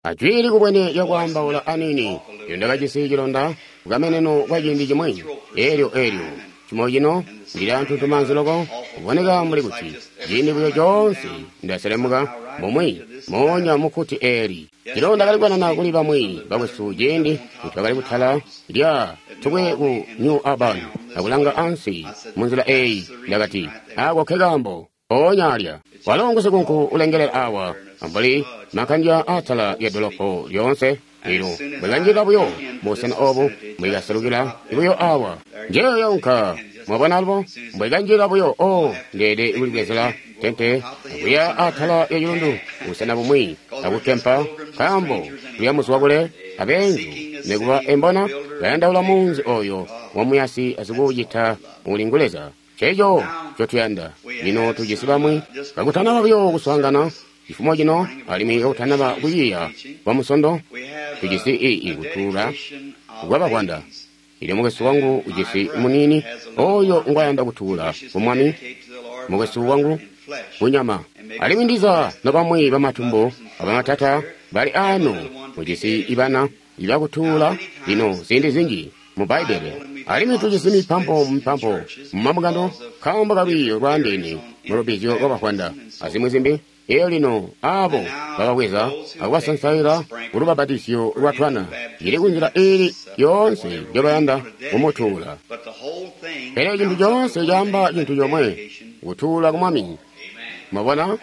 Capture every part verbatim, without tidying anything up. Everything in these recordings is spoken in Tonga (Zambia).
Ajwi likubwene lyakwaambaula aniini, elyo ndakajisi cilonda kukameneno kwa ciindi cimwi. Elyo elyo cimo cino ndili antuntumaanzi loko, kuboneka mbuli kuti ciindi buyo coonse ndaselemuka mumwi moonya mukkuti eeli. Cilonda kali kukanana kuli bamwi bakwesu ciindi nitwakali kutala lya tukwe ku New Albany akulanga ansi munzila eeyi. Ndakati, ako nkekaambo mpoonya alya. Walo ngusikunku ulengelela awa ambuli makandya atala lya dolopo lyoonse. Elyo mbwekanjilila buyo mubusena obu, mbwekaselukila buyo awa. Njeeyo yaunka. Mwabona alubo? Mbwekanjilila buyo, oh, ndeede kulibwezela tente akuya atala lya cilundu busena bumwi akukkempa, nkaambo kuya muzwa kule abeenzu nikuba embona bayandaula munzi oyo wamuyasi asikuucita uli ngu Leza. Nceeco ncotuyanda. Lino tujisi bamwi kakutanaba buyo kuswaangana cifumo cino, alimwi kakutanaba kuyiya kwa Musondo, tujisi ii kutuula kwa bavwanda. Elyo mukwesu wangu ujisi muniini oyo ngwayanda kutuula ku Mwami, mukwesu wangu kunyama. Alimwi ndiza nobamwi bamatumbu abamatata bali ano mujisi ibana ibakutuula lino ziindi zinji mu Bbaibbele. Alimwi tujisi mipampo mipampo mumabungano nkaambo kalwiiyo lwaandeene mu lubbizyo lwa bavwanda azimwi zimbi. Elyo lino abo bababweza akubasansaila kulubapatizyo lwa twana, ili kunzila iili yoonse njobayanda kumutuula. Pele cintu coonse caamba cintu comwe, kutuula ku Mwami. Mwabona?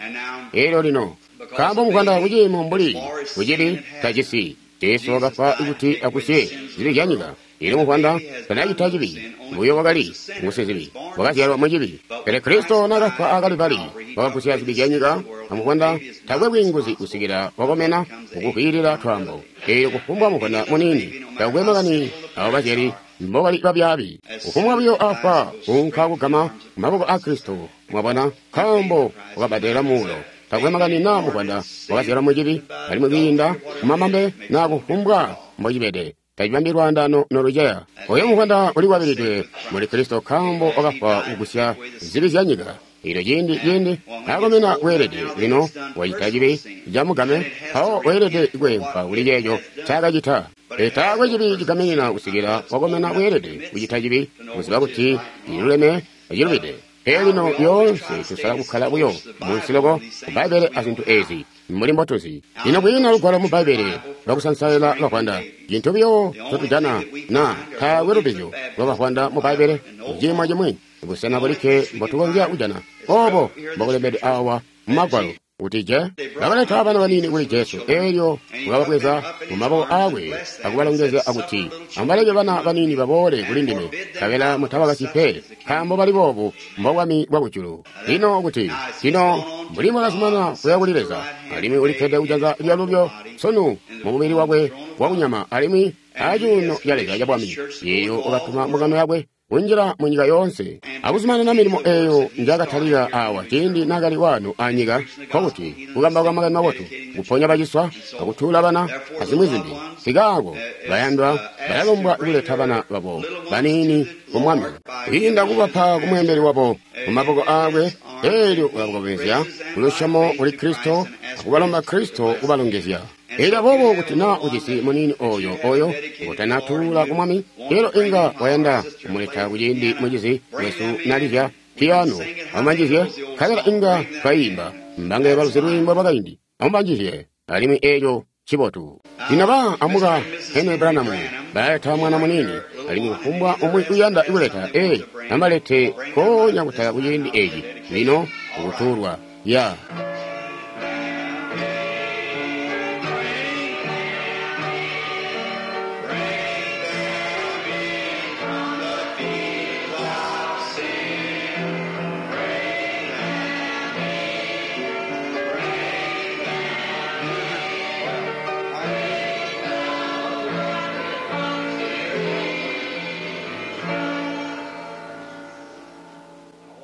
Elyo lino, nkaambo muvwanda kuciimo mbuli kucili tajisi, Jesu wakafwa kuti agusye zibi zya nyika. Elyo muvwanda tanacita cibi, buyo wakali ngusizibi, wakazyalwa mucibi. Pele Kristo nakafwa a Kalivali, wakagusya zibi zya nyika, amuvwanda takwe bwiinguzi kusikila wakomena mukukwiilila twaambo. Elyo kufumbwa muvwanda muniini, takwe makani abo bazyali mbobali babyaabi, kufumbwa buyo afwa kuunka kugama mumaboko a Kristo. Mwabona, nkaambo wakabbadela muulo. Takwe makani naa muvwanda wakazyalwa mucibi, alimwi kwiinda kumamambe naa kufumbwa mbocibede, tacibambi lwaandano noluceya. Oyo muvwanda ulikwabilidwe muli Kristo nkaambo wakafwa kugusya zibi zya nyika. Elyo ciindi ciindi akomena weelede lino wacita cibi camugame, mpawo weelede kweempa kuli ceeco ncaakacita. Pele taakwe cibi cigaminina kusikila wakomena weelede kucita cibi, kuziba kuti cililuleme acilubide. Pele lino lyoonse tusala kukkala buyo munsi loko ku Bbaibbele azintu ezi mbuli mbotuzi. Lino kwiina lugwalo mu Bbaibbele lwakusansaila bavwanda. Cintu buyo ncotujana na taakwe lubbizyo lwa bavwanda mu Bbaibbele ciimo cimwi, busena bulikke mbotukonzya kujana obo mbokulembedwe awa mu Magwalo kuti je bakaleta bana baniini kuli Jesu, elyo wakababweza mu maboko aakwe akubalongezya akuti, amubaleke bana baniini baboole kuli ndime, nkabela mutabakasyi pe, nkaambo bali boobu mbobwami bwakujulu. Lino kuti lino mbuli mwakazumanana kuya kuli Leza, alimwi ulikkede kujanza lyalulyo sunu mu mubili wakwe wakunyama alimwi acuuno ca Leza cabwami, eyo wakatuma mbungano yakwe kunjila mu nyika yoonse akuzumanana milimo eyo njakatalika awa ciindi nakali wano anyika, nkokuti kukambauka makani mabotu, kuponya baciswa, akutuula bana, azimwi zimbi. Nkaako bayandwa balalombwa kuleta bana babo baniini ku Mwami, kwiinda kubapa ku mweembeli wabo mu maboko aakwe, elyo ulabakomezya kulusyomo kuli Kristo akubalomba Kristo kubalongezya. Elyo aboobo kuti naa ujisi muniini oyo oyo ngotanatuula ku Mwami, elyo inga wayanda kumuleta kuciindi mucizi wesu nalizya piyano, amubanjizye, nkabela inga twaimba mbange baluzi lwiimbo lwakaindi, amubanjizye, alimwi eco cibotu. Lino ba amuka Henry Branham balaleta mwana muniini, alimwi kufumbwa umwi uyanda kuleta, ee, amubalete nkoonya kutala kuciindi eci lino kutuulwa. Ya.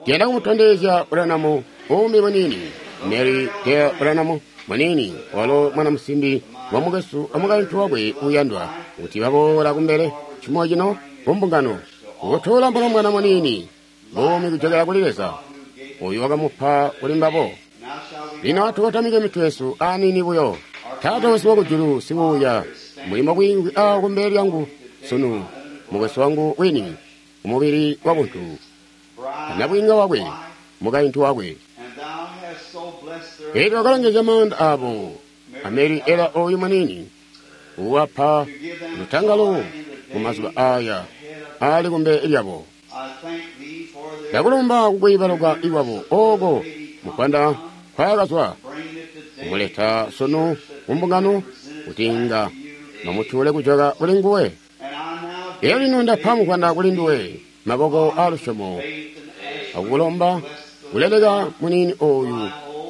Ndiyanda kumutondezya Branham uumi muniini, Mary Dale Branham muniini, walo mwana musimbi wa mukwesu amukaintu wakwe uuyandwa, kuti baboola kumbele cimo cino kumbungano kutuula mulombwana muniini buumi kujokela kuli Leza oyu wakamupa kuli mbabo. Lino atukotamike mitwe yesu aniini buyo. Taata wesu wakujulu sibuuya, mulimo bwiingwi awo kumbele lyangu sunu, mukwesu wangu wini, umubili wabuntu, anabwiinga wakwe, mukaintu wakwe. Elyo wakalongezya maanda abo, Ameri Ela oyu munini, uwapa lutangalo mu mazuba aya ali kumbele lyabo. Ndakulumba kukwiibaluka iwabo oko mupanda kwakazwa kumuleta sunu kumbungano kuti inga mamutuule kujoka kuli nguwe. Elyo lino ndapa mupanda kuli nduwe maboko alusyomo akukulomba kuleleka munini oyu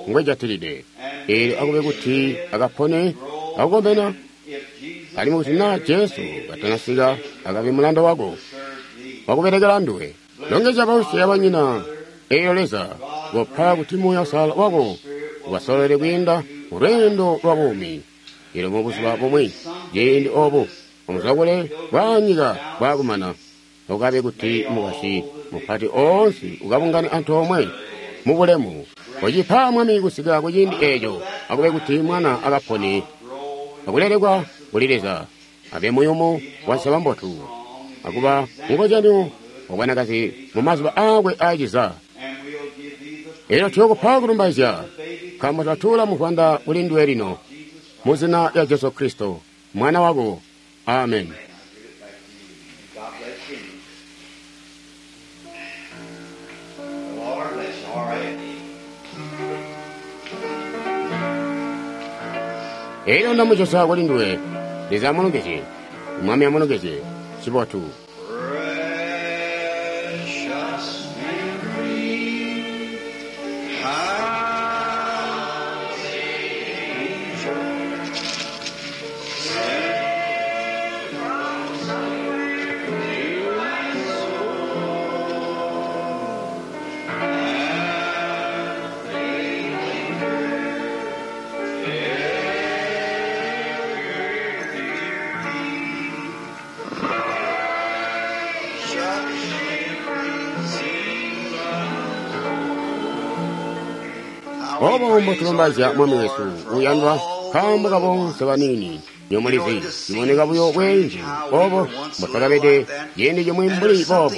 ngwejatilide. Elyo akube kuti akapone akukomena, alimwi kuti naa Jesu katanasika akabe mulanda wako wakubelekela nduwe. Longezya bausi abanyina, elyo Leza kopa kuti Muuya Uusalala wako ubasololele kwiinda mu lweendo lwa buumi. Elyo mubuzuba bumwi ciindi obu omuzwakule bwa nyika bwakumana, ukabe kuti mukwasyi mupati oonse ukabungane antoomwe mu bulemu. Kocipa Mwami kusika ku ciindi eeco, akube kuti mwana akapone akulelekwa kuli Leza, abe muyumu wa nseba mbotu, akuba mukozyanyo wa bwanakazi mu mazuba aakwe aaciza. Elyo tuyokupa kulumbaizya, nkaambo twatuula muvwanda kuli nduwe lino, mu zina lya Jesu Kristo, Mwana wako. Amen. Elyo ndamucosa kuli nduwe. Leza amulongezye. Mwami amulongezye. Cibotu. Precious Mary, how Obo mbotulumbaizya Mwami wesu uyandwa nkaambo kabonse baniini nyomulizi ciboneka buyo bweenzu obo mbotwakabede ciindi cimwi mbuli boobo.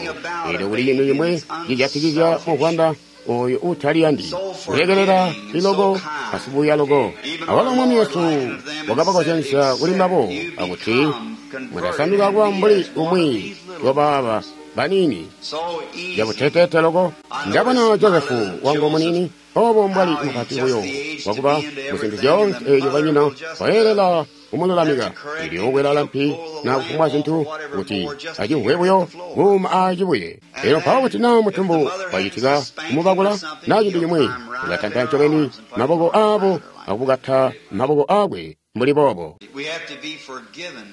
Elyo kuli cintu cimwi cijatikizya muvwanda oyo utaliyandi kulekelela liloko asibuya loko. Awalo Mwami wesu wakabakozyanisya kuli mbabo akuti mutasanduka kuba mbuli umwi wabaaba baniini yabuteteete loko. Ndabona Josefu wangu munini obo mbwali mupati buyo wakuba muzintu zyoonse eeyo banyina bayelela kumululamika. Elyo ukwelala mpi na kufumbwa zintu kuti acimvwe buyo kuuma acibuye. Elyo mpawo kuti naa mutumbu wacitika kumubakula naa cintu cimwi, ulatanta ncobeni maboko aabo akubukata maboko aakwe mbuli boobo. We have to be forgiven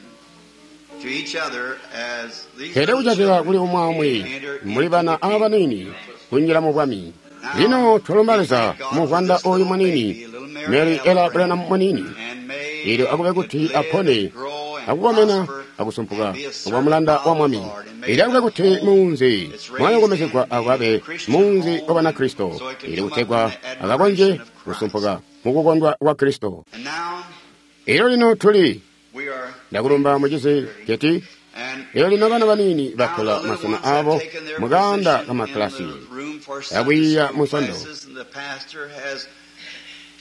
to each other as these Pele kucatila kuli umwi aumwi muli bana abaniini kunjila mu bwami. Lino twalumba Leza muvwanda oyu munini, Mary Ella Branham munini. Elyo akube kuti apone, akukomena, akusumpuka, akuba mulanda wa Mwami. Elyo akube kuti munzi mwayokomezegwa akabe munzi wa Banakristo, elyo kutegwa akakonje kusumpuka mukukondwa kwa Kristo. And now Elyo lino tuli we are ndakulumba mucizi Keti. and Elyo lino bana baniini now batola the little masena ones have abo taken their mu kaanda position in kamaklasi the room for Sunday akwiiya school mu Nsondo. classes, and the pastor has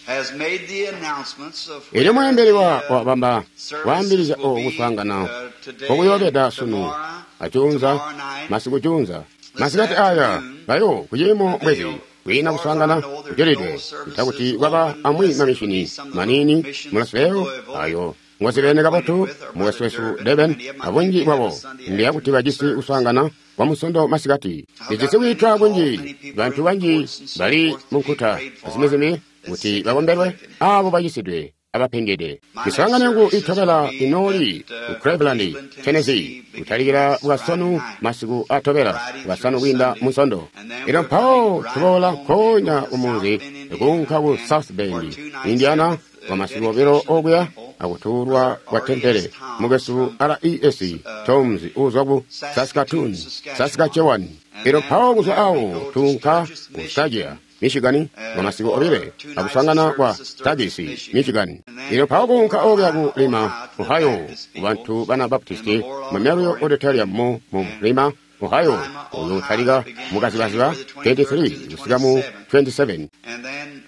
has made the announcements of Elyo where mweembeli wa the, uh, wabamba services waambilizya will oku be, kuswaangana uh, today, kokuyobeda sunu tomorrow, acuunza tomorrow night. masiku cuunza masikati aya bayo kuciimo mwezi kwiina kuswaangana kucelidwe ntakuti kwaba amwi mamishini maniini mulasileyo ayo ngozibene kabotu mukwesu wesu Deben abunji bwabo ndiyakuti bajisi kuswaangana kwa musondo masikati. Lijisi kwiitwa kunji bantu banji bali munkuta azimizimi kuti bakombelwe abo bacisidwe abapengede. Miswaangano yangu itobela inooli ku Cleveland, Tennessee, kutalikila bwasanu masiku atobela bwasanu kwiinda munsondo. Elyo mpawo tuboola nkoonya kumunzi kuunka ku South Bend, Indiana, kwa masiku obilo okuya akutuulwa kwa tempele mukwesu R E S Toms uzwa ku Saskatoon, Saskatchewan. Elyo mpawo kuzwa awo tuunka ku Stagia, Michigan kwa masiku obile akusangana kwa Tagisi Michigan. Ilo mpawo kuunka okuya ku Lima, Ohio, kubantu bana Baptisti Memorial Auditorium mu mu Lima, Ohio, uyo utalika mukazibaziba twenty-three kusika mu twenty-seven.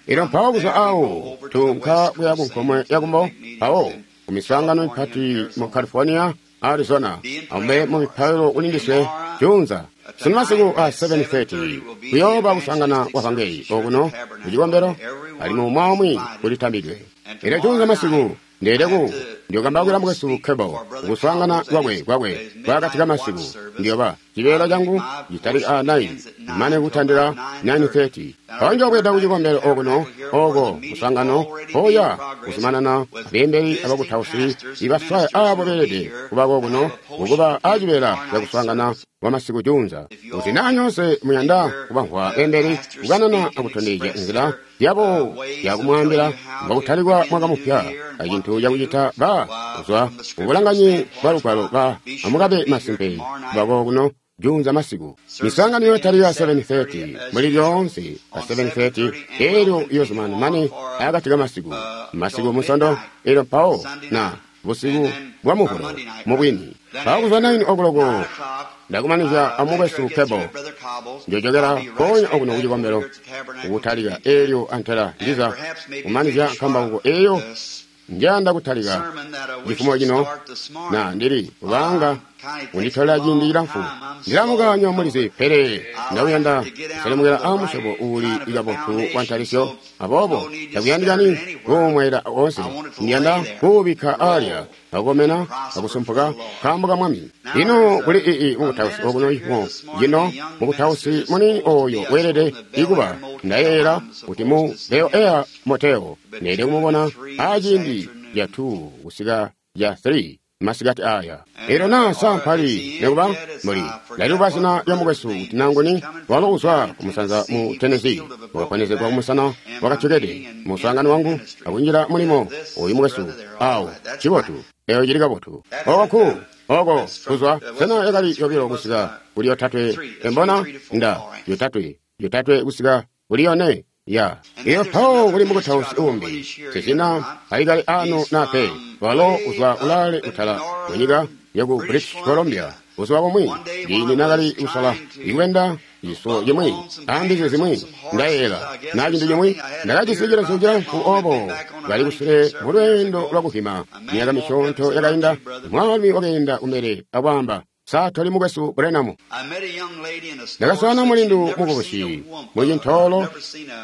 Ilo mpawo kuzwa awo tuunka kuya ku nkomwe yakumbo mpawo ku miswaangano mipati mu California, Arizona, amube mu mipailo kulindiswe junza. Sunu masiku a seven thirty kuyooba kusangana kwa vangeli okuno kucikombelo alimwi umwi kulitambidwe. Elyo junza masiku ndeeleku ndiyokambawukila mukwesu Cable kuswaangana kwakwe kwakwe kwakati ka masiku ndiyoba cibeela cangu citali a nine mane kutandila nine thirty. Mpawo njoobweda kucikombelo okuno oko muswaangano mpoya kuzumanana abeembeli abakutausi ibaswaya abo beelede kubako kuno kukuba acibeela cakuswaangana kwa masiku junza. Kuti naa nyoonse muyanda kubamvwa beembeli kukanana akutondezya nzila yabo yakumwaambila mbakutalikwa mwaka mupya acintu cakucita ba kuzwa kubulanganyi bwa lugwalo ba amukabe masimpe kubako kuno junza masiku. Misangano yotalika seven thirty muli lyoonse pa seven thirty elyo iyozumana mane akati ka masiku masiku musondo elyo mpawo na busiku bwa muvulo mubwini. Mpawo kuzwa nine o'clock ndakumanizya amukwesu Cable njojokera konya okuno kucikombelo kukutalika elyo antela ndiza kumanizya nkambauko eyo njanda kutalika cifumo cino na ndili kubanga kunditola ciindi cilamfu ndilamukanywa mulizi pele ndakuyanda kuselemukela a musyobo uuli kabotu wa ntalisyo aboobo takuyandikani kuumwaila oonse ndiyanda kuubikka alya akukomena akusumpuka nkaambo ka Mwami. Ino kuli ii mukutausi okuno imo cino mukutausi munini oyo weelede ikuba ndayeeyela kuti mu Bel Air Motel neede kumubona aciindi ca two kusika ca three masikati aya. Elyo naa sampali nekuba muli ndaliluba zina lya mukwesu kuti nanguni walo uzwa kumusanza mu Tennessee wakaponezegwa kumusana wakacekede muswaangano wangu akunjila mulimo oyu mukwesu awo cibotu eyo cili kabotu oku oko kuzwa sena yakali yobilo kusika kuli yotatwe embona nda yotatwe yotatwe kusika kuli yone ya iyo mpawo kuli mukutausi umbi sisina alikali ano nape walo uzwa ulale utala munyika yaku British Columbia buzuba bumwi ciindi nakali kusala ikwenda ciso cimwi ambizi zimwi ndayeela na cintu cimwi ndakajisi cilezu cilamfu obo kali kusule mu lweendo lwakuhima myaka misyoonto yakainda mwaalumi wakeenda kumbele akwaamba satoli mukwesu Branham. Ndakaswaana mulindu mukubusi mucintoolo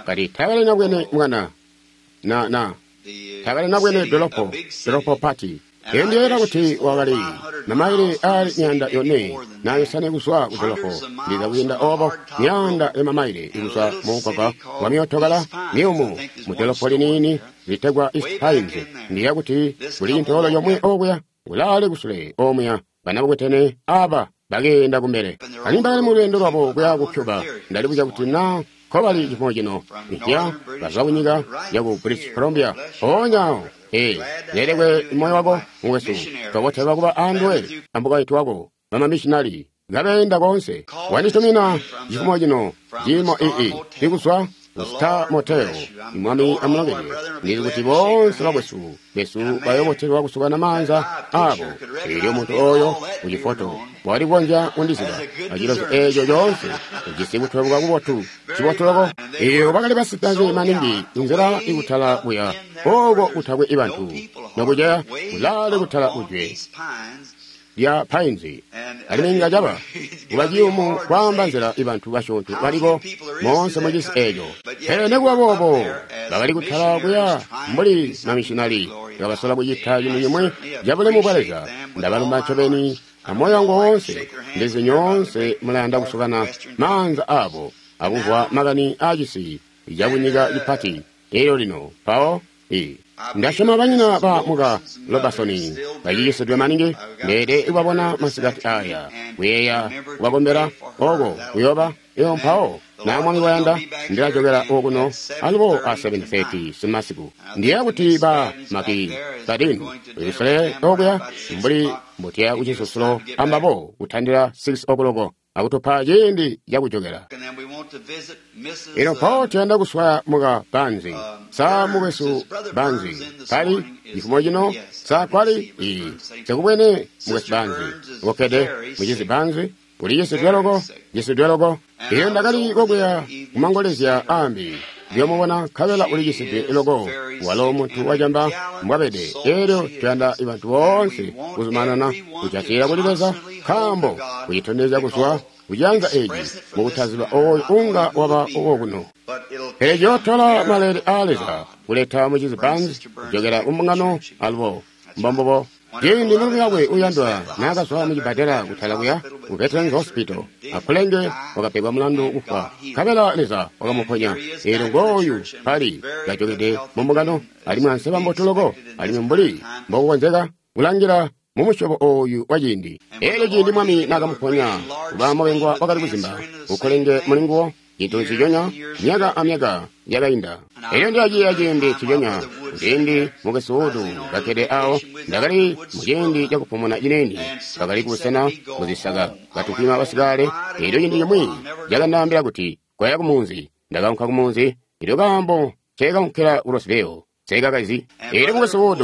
kati takalina bwene mwana na na takalina bwene dolopo dolopo pati. Eyo ndiyeera kuti wakali mamaile ali miyanda yone nayosane kuzwa ku dolopo ndiza kuyenda obo miyanda ya mamaile ikuzwa mu mugwagwa wa myootokala miyumu mu dolopo liniini litegwa East Pines. Ndiye kuti kuli cintoolo comwe okuya ulale kusule omuya banabukwetene aba bagenda kumbele alimwi bakali mu lweendo lwabo kuya ku Cuba. Ndalibuzya kuti na nkobali cifumo cino mpya bazwa kunyika yaku British Columbia mpoonya ee lelekwe moyo wako mukwesu tobotelwa kuba anduwe ambukaiti wako bamamishinali ngabeenda konse wanditumina cifumo cino ciimo ii ikuzwa Star Motel. Mwami amulongele ndili kuti bonse bakwesu besu bayobotelwa kusukana maanza abo. Elyo muntu oyo kucifoto wali kukonzya kundiziba acilozo eco coonse ujisi kutweluka kubotu cibotu loko. Iyo bakali basitazi maningi inzila ikutala kuya oko kutakwe ibantu nokuceya kulale kutala kujwe lya Pines alimwi inga caba kuba ciyumu kwaamba nzila ibantu basyoonto baliko moonse mucisi eco. Pele nekuba boobo bakali kutala kuya mbuli mamishinali bakasola kucita cintu cimwi cabulemu bwa Leza. Ndabalumba ncobeni amoyo wangu woonse ndizi nyoonse mulayanda kusukana maanza abo akumvwa makani aacisi cakunyika cipati elyo lino mpawo i ndasyoma banyina ba muka Robertson baciyisidwe maningi ndeede kubabona masikati aya kuyeeya kubakombela oko kuyoba iyo mpawo na Mwami wayanda ndilajokera okuno alubo a seven thirty simasiku. Ndiye kuti ba maki badini ulusele okuya mbuli mbutiya kucisusulo ambabo kutandila six o'clock akutupa ciindi cakujokela. Elyo mpawo tuyanda kuswaya muka Banzi. Sa mukwesu Banzi kali cifumo cino? Sa kwali? Iyi, sekubwene mukwesu Banzi ukkede. Mucizi Banzi uliyisidwe loko, yisidwe loko. Iyo ndakali kokuya kumangolezya ambi ndiyomubona, nkabela uliyisidwe loko. Walo muntu wacamba mbwabede. Elyo tuyanda bantu boonse kuzumanana kujatila kuli Leza, nkaambo kucitondezya kuzwa kuciyanza eci mukutaziba oyo unga waba wokuno. Pele ciyootola maleele aa Leza kuleta mucizi Banzi kujokela kumbungano alubo. Mbombubo. Ciindi mulumi wakwe uyandwa naakazwa mucibbadela kutala kuya ku Veterans Hospital, akulenge wakapegwa mulandu kufwa, nkabela Leza wakamuponya. Eelyo ngooyu pali kajokede mumbungano, alimwi anseba mbotu loko, alimwi mbuli mbokukonzeka kulangila mumusyobo ooyu wa ciindi. Eelyo ciindi Mwami naakamuponya kuba mubengwa wakali kuzimba ukulenge mulinguwo, cintu nciconya myaka amyaka yakainda. Elyo ndiyaciya ciindi nciconya ciindi mukwesu Wood kakkede awo, ndakali muciindi cakupumuna ciniini, bakali kubusena muzisaka katupima basikale. Elyo ciindi cimwi cakandaambila kuti koya kumunzi. Ndakaunka kumunzi. Elyo kaambo nceekaunkila ku Roseville nseekakazi. Elyo mukwesu Wood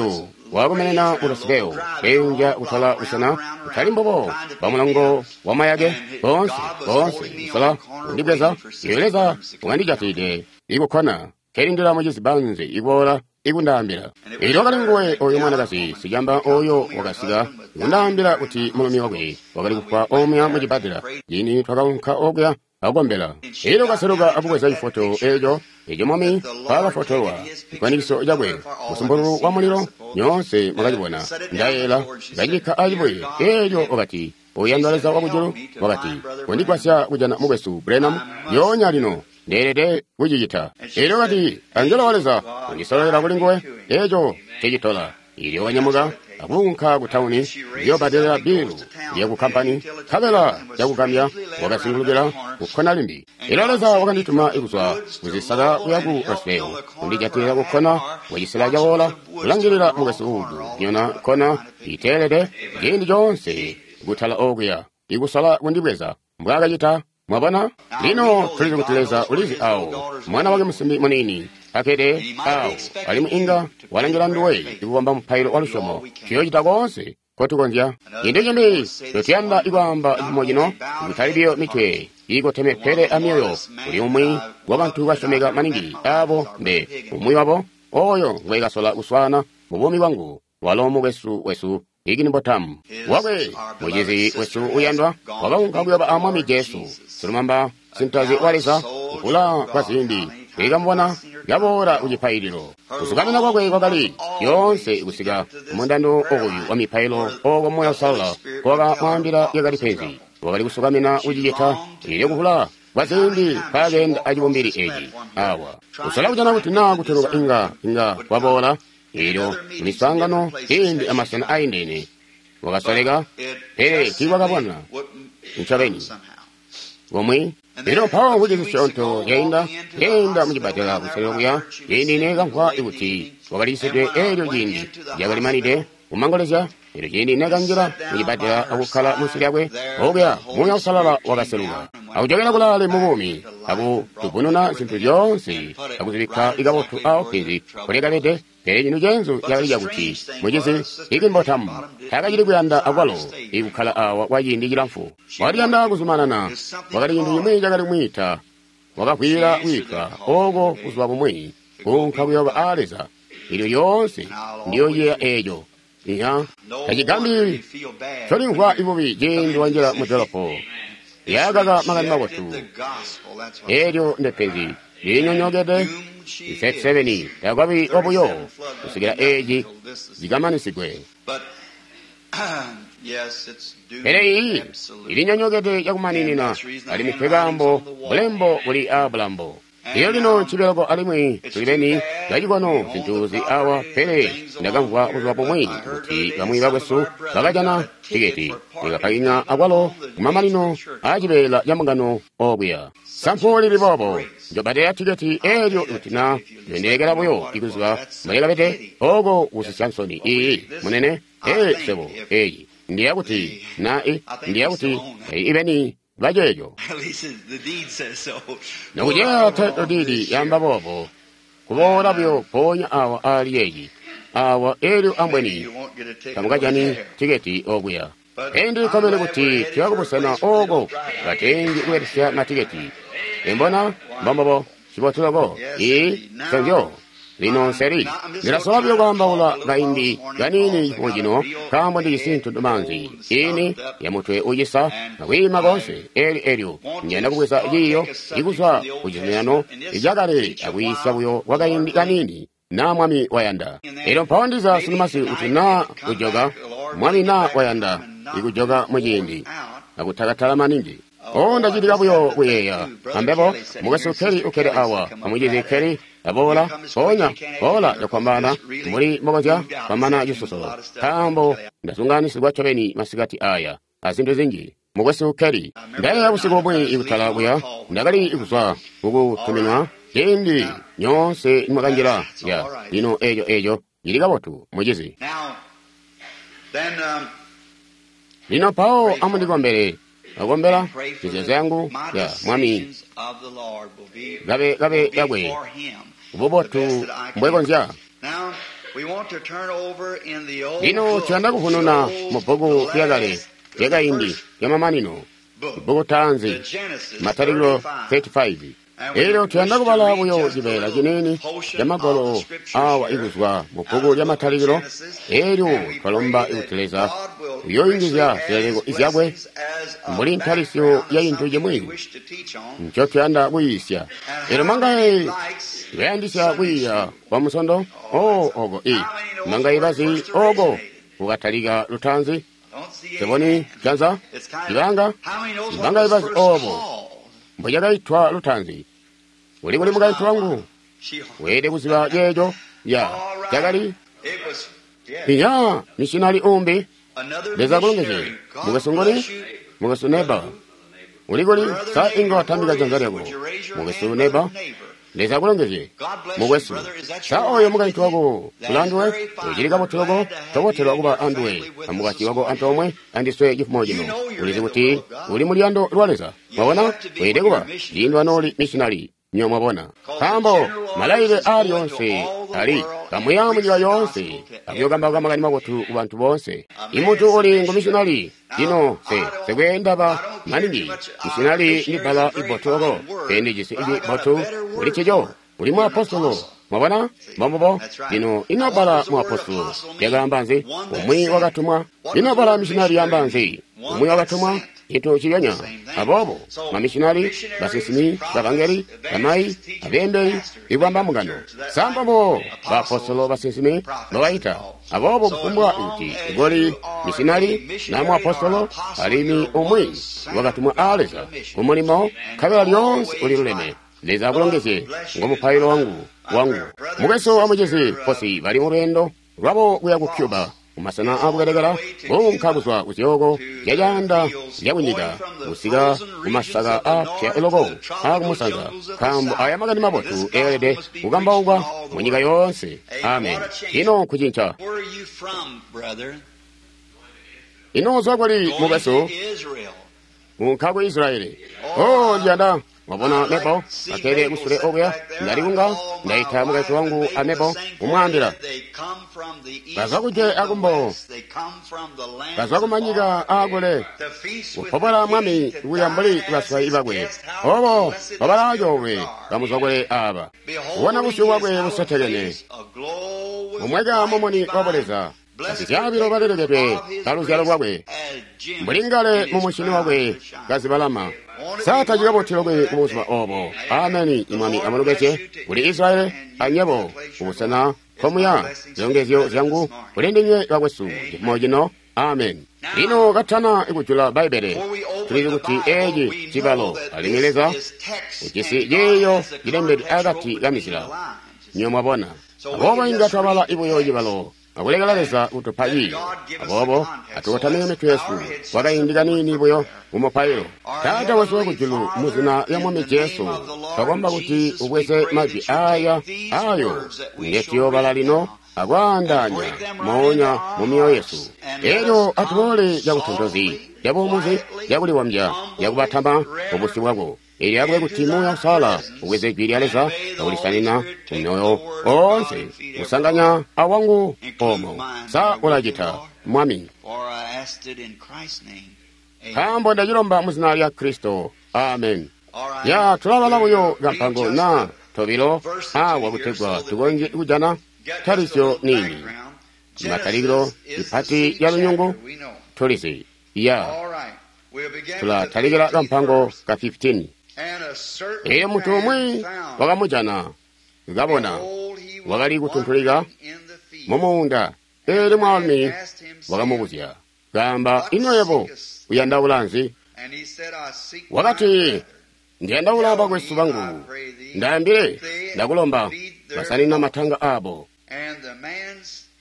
wakomenena mu Roseville, keenja kutola busena kutali mbubo bwamulongo wamayake boonse boonse kusola kundibweza. Iyo Leza wakandijatide ikukkona kelindila mucizi Banzi ikuboola ikundaambila. Elyo wakali nguwe oyo mwanakazi sicamba oyo wakasika ikundaambila kuti mulumi wakwe wakali kufwa omuya mucibbadela. Ciindi twakaunka okuya akukombela, elyo kaseluka akubweza cifoto eco eco Mwami mpaakafotolwa cifwanikiso cakwe musumpululu wa mulilo. Nyoonse mwakacibona, ndayeela kacikka acibuye. Elyo wakati, Uyandwa Leza wakujulu, wakati, kondigwasya kujana mukwesu Branham lyoonya lino, ndeelede kucicita. Elyo wakati, angelo wa Leza undisololera kuli nguwe, eco ncecitola. Elyo wanyamuka akuunka ku tauni kuyobbadelela bilu lyaku kampani, nkabela cakugambya wakazingulukila kukkona limbi. Elyo Leza wakandituma kuzwa kuzisaka kuya ku Roseville kundijatilila kukkona wacisela cawola kulangilila mukwesu Wood kunyona kkona iteelede ciindi coonse kutala okuya ikusola kundibweza mbwaakacita. Mwabona? Lino tulizi kuti Leza ulizi awo mwana wake musimbi muniini akede awo, alimwi inga walangila nduwe ikubamba mupailo wa lusyomo. Tuyoocita koonse kotukonzya. Cintu cimbi ncotuyanda ikwaamba cifumo cino, kutali biyo mitwe iikoteme pele amyoyo, kuli umwi wabantu basyomeka maningi abo mbe umwi wabo oyo ngwekasola kuswaana mu buumi bwangu, walo mukwesu wesu Higginbotham wakwe mucizi wesu uyandwa wakaunka kuyoba a Mwami Jesu, silumamba sintazi wa Leza kuvula kwa ziindi ikamubona kaboola kucipaililo. Kusukamina kwakwe kwakali yoonse kusika kumundando oyu wa mipailo oko Moya Uusalala wakamwaambila lyakali penzi. Wakali kusukamina kucicita. Elyo kuvula kwa ziindi mpaakeenda acibumbili eci awa kusola kujana kuti naa kuteluka inga inga kwaboola. Elyo miswaangano ciindi amasena aindene wakasoleka, pele tiiwakabona ncobeni komwe. Elyo mpawo mvwiki zisyoonto zyainda nkeenda mucibbadela kuselelo kuya, ciindi neekamvwa kuti wakaliyisidwe. Elyo ciindi lyakalimanide kumangolezya. Elyo ciindi neekanjila mucibbadela akukkala munsi lyakwe okuya, Muuya Uusalala wakaseluka akujokela kulaale mubuumi akutubununa zintu zyoonse akuzibikka ikabotu awo penzi kulekabede. Pele cintu ceenzu cakali cakuti mucizi Higginbotham taakacili kuyanda akwalo ikukkala awa kwa ciindi cilamfu. Wakali kuyanda kuzumanana. Wakali cintu cimwi cakali kumwiita. Wakavwiila kwiitwa oko kuzuba bumwi kuunka kuyoba aa Leza. Elyo lyoonse ndiyoociyeeya eeco. Iya, tacigambi colimvwa ibubi ciindi wanjila mu dolopo. Yakaka makani mabotu. Elyo ndepenzi linyonyokede thirty-seven takwabi wabuyo kusikila eci cikamanisigwe. Pele iyi ilinyonyokede cakumaninina, alimwi nkekaambo bulembo buli aabulambo. Iyo lino ncibeloko alimwi tuli beni bacikono zintu zi awa. Pele ndakamvwa buzuba bumwi kuti bamwi bakwesu bakajana tiketi likapakinya akwalo kumamanino aacibeela ca mbungano okuya. Sampu lili boobo njobbadela tiketi eelyo kuti naa ndendelekela buyo ikuziba mbwelekabede oko kusisya nsoni. Iyi munene ee sebo eyi ndiya kuti na i ndiya kuti ibeni baceeco. At least the deed says so. Nokuceya title deed yaamba boobo, kuboola buyo mpoonya awa aali yeeyi awa elyo ambweni You won't get a ticket tamukajani over there. tiketi okuya. Endi komene kuti tuya kubusena oko batengi kubelesya matiketi. Imbona mbombobo cibotu loko ii nconzyo. Lino nseri ndilasola buyo kwaambaula kaindi kaniini mujino nkaambo ndijisi ntuntumaanzi ini ya mutwe ucisa akwiima konse eli elyo njanda kubweza ciiyo ikuzwa ku cizuminano icakale akwiisya buyo kwa kaindi kaniini na Mwami wayanda. Elyo mpawo ndiza sunumasi kuti naa kujoka Mwami naa wayanda ikujoka muciindi akutakatala maningi. O ndacitika buyo kuyeeya ambebo mukwesu Kelly ukkede awa amucizi Kelly aboola mpoonya boola cakwambana mbuli mbokonzya kwamana cisusulo nkaambo ndasunganisigwa ncobeni masikati aya azintu zinji. Mukwesu Kelly ndayeeya busiku bumwi ikutala kuya ndakali kuzwa kukutuminwa ciindi nyoonse nimwakanjila ya lino eeco eeco cili kabotu mucizi. Now, then, um, Lino mpawo amundikombele akombela pray for mizeezo the, yangu my ya Mwami decisions of the Lord will be, kabe kabe will be yakwe for him. The bubotu best that I can. mbwekonzya. Now, we want to turn over in the old Lino book, tuyanda kuvununa the old, mu bbuku the lyakale last, the lyakaindi first lyamamanino book, bbuku taanzi the Genesis Matalikilo thirty-five. thirty-five. And we Elyo wish tuyanda to kubala read buyo just a cibeela little ciniini portion ca of magwalo the scriptures awa here ikuzwa mu out bbuku of the lya book of Matalikilo. Genesis, Elyo and we twalomba pray kuti that Leza God will uyooyungizya richly add zileleko his zyakwe blessings as a mbuli ntalisyo background ya of cintu something cimwi we wish to teach on. ncotuyanda kuyiisya. And Elyo how mangaye many likes bayandisya Sunday kwiiya school? kwa musondo Oh, o that's oko i how many knows mangaye where it bazi first oko originated? kukatalika lutaanzi Don't see any seboni hands. janza It's kind of ibanga how many knows what mangaye was bazi first obo called? mbwecakaitwa lutaanzi. Uli kuli Where's mukaintu my wangu wife? She weelede kuziba ceeco ya all right. cakali It was yeah. iya mishinali umbi. Another Leza akulongezye missionary. God mukwesu ngoni bless you, mukwesu neba brother. uli kuli Brother sa inga neighbor, watambika where janza is? lyako Would you raise your mukwesu hand, neba. brother neighbor? Leza akulongezye God bless you, mukwesu. brother. Is that Sa your oyo wife with mukaintu you? wako That is ulanduwe very fine. ucili We're kabotu loko glad to have you tobotelwa and kuba your anduwe family with us amukwasyi this wako morning. antoomwe andiswe cifumo You cino. know you're Ulizi in the kuti will of God. uli muluyando lwa Leza. You Mwabona have to be weelede when kuba you're a missionary. ciindi wanooli mishinali nyo mwabona Because the nkaambo general orders malayile is aali going to onse all the ali world and kamuya preach munyika the yoonse gospel to every akuyokambauka makani mabotu ku bantu bonse. A Imuntu man's a uli ngu missionary. mishinali lino Now, se I don't, sekweenda I ba don't care too maningi much. Uh, mishinali ndi missionary is a bbala very ibotu loko fine word, pende cisi but I got a ibotu better kuli word ncico for it. uli You're an muapostolo. apostle. Mwabona See, mbombobo that's right. lino ino Now, what bbala does the word muapostolo apostle mean? lyakaamba nzi? One that's Umwi sent. wakatumwa. What does Ino the bbala word mishinali missionary lyaamba mean? nzi? One Umwi that's wakatumwa sent. cintu ciyonya. Same thing. Aboobo So, mamishinali missionaries, basinsimi prophets, bavangeli bamayi evangelists, teachers, abeembeli pastors make ikubamba up the mbungano. church. Is that right? Sambabo baapostolo Apostles, basinsimi prophets, babaita. and all. Aboobo So as kufumbwa long kuti as koli you are a mishinali na missionary or muapostolo apostle, alimi you're umwi one sent wakatumwa of a God to Leza a mission. kumulimo And nkabela lyoonse always uliluleme. right. Leza God akulongezye bless you ngo is mupailo my, wangu my wangu. prayer. Brother and Mukwesu amucizi sister uh, Fosi bali mu lwendo lwabo kuya ku Cuba Foss kumasena is on their akukelekela way to kuunka Cuba kuzwa ku zyooko to the zyacaanda fields, zyakunyika going from the kusika frozen ku regions masaka of the a north pya to loko the tropical akumusanza jungles of the nkaambo south. aya makani And mabotu this gospel eelede must be preached in kukambaukwa all the mu nyika world. yoonse. Hey, Amen. what a change. Ino nkucinca. Where are you from, brother? Ino uzwa kuli Going to mukwesu Israel. kunka ku Israeli. Oh, Oh I, ndiyanda mwabona I Mebo like to see akele Mabel kusule sitting okuya back there. I ndalikunga call my ndayita mukazi wife and wangu Mabel the amebo same thing kumwambila that they come from the bazwa east kuje and the akumbo west. They come from the lands bazwa kumanyika afar. akule To feast with the kupobola king, mwami to kuya dine mbuli as baswayi his bakwe guest. How obo blessed is babala the coolwe God. bamuzwakule aba kubona Beholding busyu his bwakwe hallowed busetekene face, aglow with mumweka light mumuni wa divine, buleza blessed azizyabilo partakers balelekedwe of his kaluzyalo grace lwakwe as gems mbuli ngale in his mumushini crown wakwe to shine. kazibalama Won't it be saatacikabotelo wonderful kwe that kubuzuba day? obo. Amen. Ameni. The Imwami Lord bless amulongezye you to kuli Israel Israeli and you to anyebo the place you're kubusena going. It's my komuya blessings to you, zilongezyo brother, this zyangu morning. kuli ndinywe bakwesu Amen. cifumo cino. Amen. Now, Lino katana ikujula Bbaibbele before we open tulizi the kuti Bible, eeci we know cibalo that alimwi this Leza is text ujisi and God ciiyo has the cilembedwe context akati wrote ka between the mizila. lines. You Nyo see. mwabona. So we Aboobo can inga just twabala read the ibuyo text cibalo akulekela and Leza kutupa let ciiyo. God give us the Aboobo context. So atukotamike let's mitwe bow yesu our heads just kwa a kaindi moment kaniini for buyo prayer. mumupailo. Our Taata wesu Heavenly wakujulu Father, muzina lya in Mwami the name Jesu of the Lord twakomba kuti Jesus, we ubweze pray that majwi you take aya these ayo words that we nge shall tuyoobala read lino now and akwaandaanya break them right into moonya our mu myoyo yesu hearts and Elyo atuboole cakutontozi, cabuumuzi, cakulibombya, cakubatama mubusyu bwako. Elyo akube kuti Muuya Uusalala ubweze Jwi lya Leza akulisanina mumyoyo oonse, kusanganya awangu omo. Sa ulacita, Mwami? Nkaambo ndacilomba mu zina lya Kristo. Amen. Ya tulabala buyo kampango na tobilo awa kutegwa tukonzye kujana talisyo nini. Matalikilo ipati ya lunyungu tulizi. Ya tulatalikila kampango ka fifteen. Elyo muntu umwi wakamujana, kabona wakali kutuntulika mu muunda. Elyo mwaalumi wakamubuzya, kaamba, ino yebo uyandaula nzi? Wakati, ndiyandaula bakwesu bangu, ndaambile, ndakulomba, basanina matanga abo.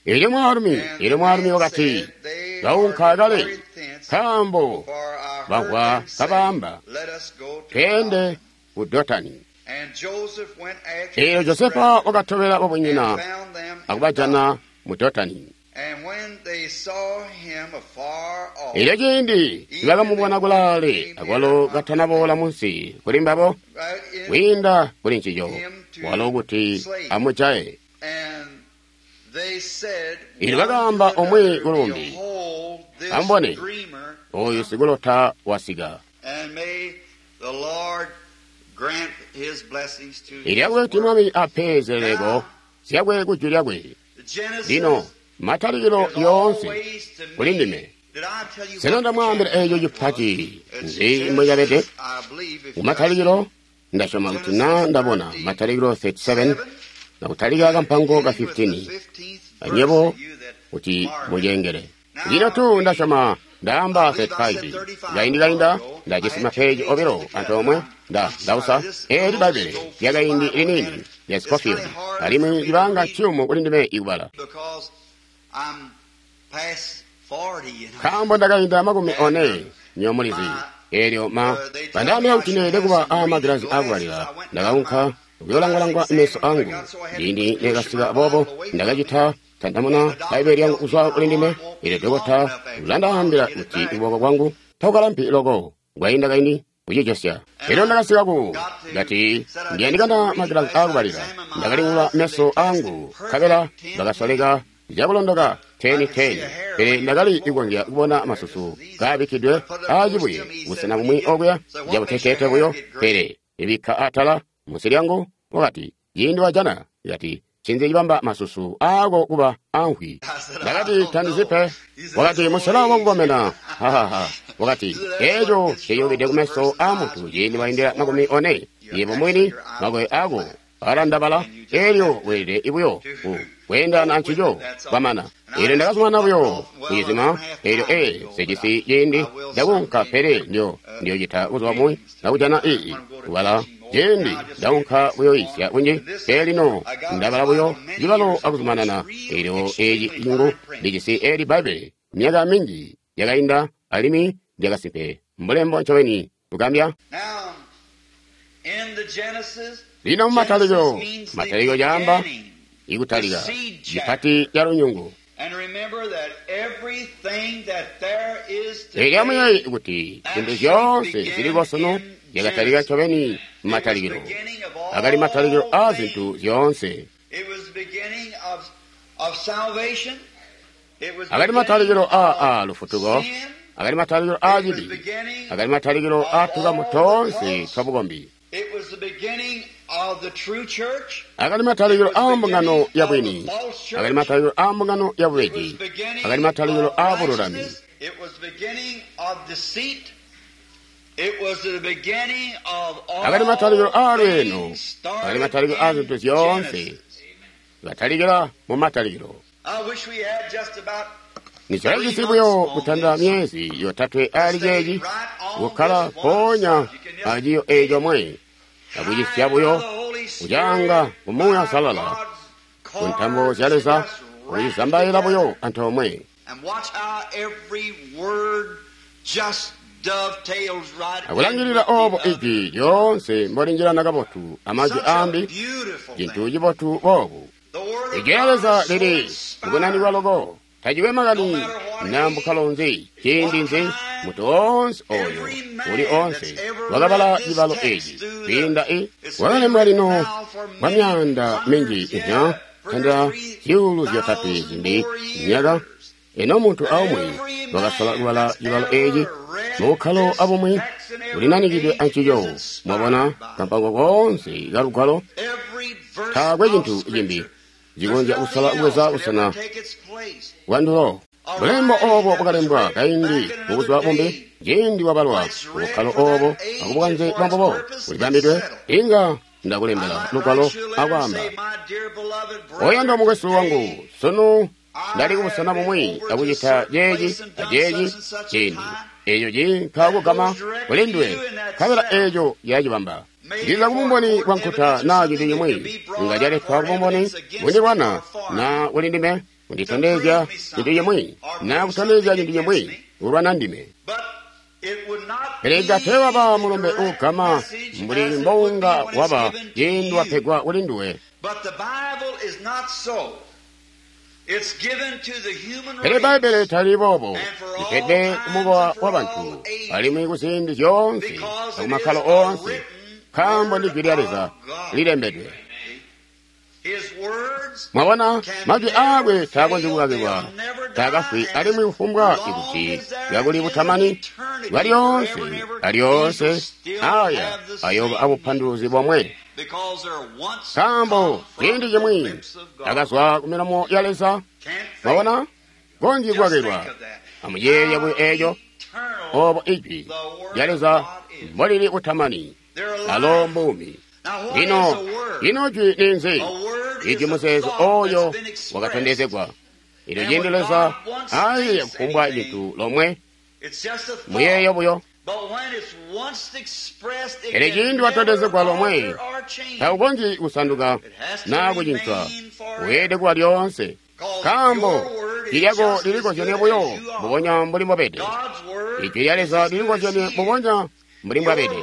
Elyo mwaalumi, elyo mwaalumi wakati, kaunka kale, nkaambo bamvwa kabaamba, tweende ku Dotani. Elyo Josefa wakatobela babunyina akubajana mu Dotani. Elyo ciindi nibakamubona kulaale, akwalo katanaboola munsi kuli mbabo, kwiinda kuli ncico, walo kuti amujaye. Elyo bakaamba umwi kulumbi, amubone, oyu sikulota wasika. Elyo akube kuti Mwami ape zileleko zyakwe ku jwi lyakwe. Lino matalikilo yoonse kuli ndime. Sena ndamwaambila eeco cipati nzi mbwecabede? Kumatalikilo ndasyoma kuti na ndabona Matalikilo thirty-seven na kutalika kampango ka fifteen, anyebo kuti mucengele. Lino tu ndasyoma ndaamba thirty-five. Kaindi kainda ndajisi mapeji obilo antoomwe nda ndausa eeli Bbaibbele lyakaindi liniini lya Scofield, alimwi libanga ciyumu kuli ndime ikubala. Nkaambo ndakainda makumi one nyomulizi. Elyo ma bandaambila kuti neelede kuba a magilazi akubalila, ndakaunka kuyolangwalangwa meso angu. Ciindi nekasika boobo ndakacita tandamuna Bbaibbele lyangu kuzwa kuli ndime. Elyo dokota ulandaambila kuti kuboko kwangu takukalampi loko kwainda kaindi kucijosya. Elyo ndakasika ku kati ndiyandikana magilazi akubalila, ndakalingula meso angu, nkabela bakasoleka zyakulondoka teni teni, pele ndakali kukonzya kubona masusu kaabikkidwe aacibuye busena bumwi okuya cabuteteete buyo, pele ibikka atala munsi lyangu. Wakati, ciindi wajana, kati, ncinzi cibamba masusu aako kuba amvwi? Ndakati, tandizi pe. Wakati, musela wakukomena. Hahaha. Wakati, eeco ciyubide kumeso aa muntu ciindi waindila makumi one. Yebo mwini makoye aako alandabala, elyo weelede buyo ku kweendana ancico kwamana. Elyo ndakazumana buyo kucizima. Elyo ee, sijisi ciindi ndakunka, pele ndyo ndiyocita buzuba bumwi ndakujana ii kubala ciindi ndaunka kuyoyisya kunji. Pele lino ndabala buyo cibalo akuzumanana. Elyo eeci cingu ndijisi eeli Bbaibbele myaka minji yakainda, alimwi lyakasimpe mbulembo ncobeni kugambya. Lino mumatalikilo, matalikilo caamba ikutalika cipati ca lunyungu. Elyo amuyeeye kuti zintu zyoonse ziliko sunu zyakatalika ncobeni mumatalikilo. Akali matalikilo aa zintu zyoonse. Akali matalikilo aa aa lufutuko, akali matalikilo aa cibi, akali matalikilo aa tukamu toonse twa bukombi. Akali matalikilo aa mbungano ya bwini, akali matalikilo aa mbungano ya bubeji, akali matalikilo aa bululami. Akali matalikilo aa lweeno, akali matalikilo aa zintu zyoonse, katalikila mu matalikilo. Nichakajisi buyo kutanda myezi yotatwe ali ceeci, kukkala mpoonya aciyo eeco mwe, akucisya buyo kucaanga ku Muuya Uusalala, ku ntambo zya Leza, kucizambaila buyo antoomwe. Akulangilila oobo ijwi lyoonse mbolinjilana kabotu amajwi aambi, cintu cibotu boobu. Ijwi lya Leza lili mukunanikwa loko, Tacikwe makani na mbukkalo nzi, ciindi nzi, muntu oonse oyo uli oonse wakabala cibalo eci kwiinda i wakalembwa lino kwa myaanda minji ihya tandila zyuulu zyotatwe zimbi myaka. Eno muntu aumwi wakasola kubala cibalo eci mubukkalo abumwi ulinanikidwe ancico. Mwabona kampango koonse ka lugwalo, taakwe cintu cimbi cikonzya kusola kubweza busena bwandulo. Bulembo obo bwakalembwa kaindi mubuzuba bumbi, ciindi wabalwa bukkalo obo akubukanze bwambubo bulibambidwe, inga ndakulembela lugwalo akwaamba, oyandwa mukwesu wangu, sunu ndali kubusena bumwi akucita ceeci aceeci ciindi eeco ciinka kugama kuli nduwe, nkabela eeco yacibamba. Ndiza kubumboni bwa nkuta naa cintu cimwi inga caletwa kubumboni bundilwana naa kuli ndime kunditondezya cintu cimwi naa kutondezya cintu cimwi kulwana ndime. Pele inga teewaba mulumbe uugama mbuli mbounga waba ciindi wapegwa kuli nduwe. Pele Bbaibbele tali boobo, lipedwe kumukowa wa bantu alimwi kuziindi zyoonse akumakkalo oonse, nkaambo ndi Jwi lya Leza lilembedwe. Mwabona, majwi aakwe taakonzyi kukakilwa, taakafwi alimwi kufumbwa ikuti kakuli butamani bwalyoonse alyoonse, aya ayooba abupanduluzi bomwe. Nkaambo ciindi cimwi akazwa ku milomo ya Leza. Mwabona, konzyi kukakilwa. Amuyeeye buyo eeco, obo Ijwi lya Leza mbolili butamani, alo mbuumi. Lino, ino jwi ninzi? Ijwi muzeezo oyo wakatondezegwa. Elyo ciindi Leza ayeeya kufumbwa cintu lomwe, muyeeyo buyo. Pele ciindi watondezegwa lomwe, taukonzyi kusanduka naa kucincwa, weelede kuba lyoonse. Nkaambo jwi lyako lilikozyenie buyo mbubonya mbuli mbobede. Ijwi lya Leza lilikozyenie mbubonya mbuli mbwabede.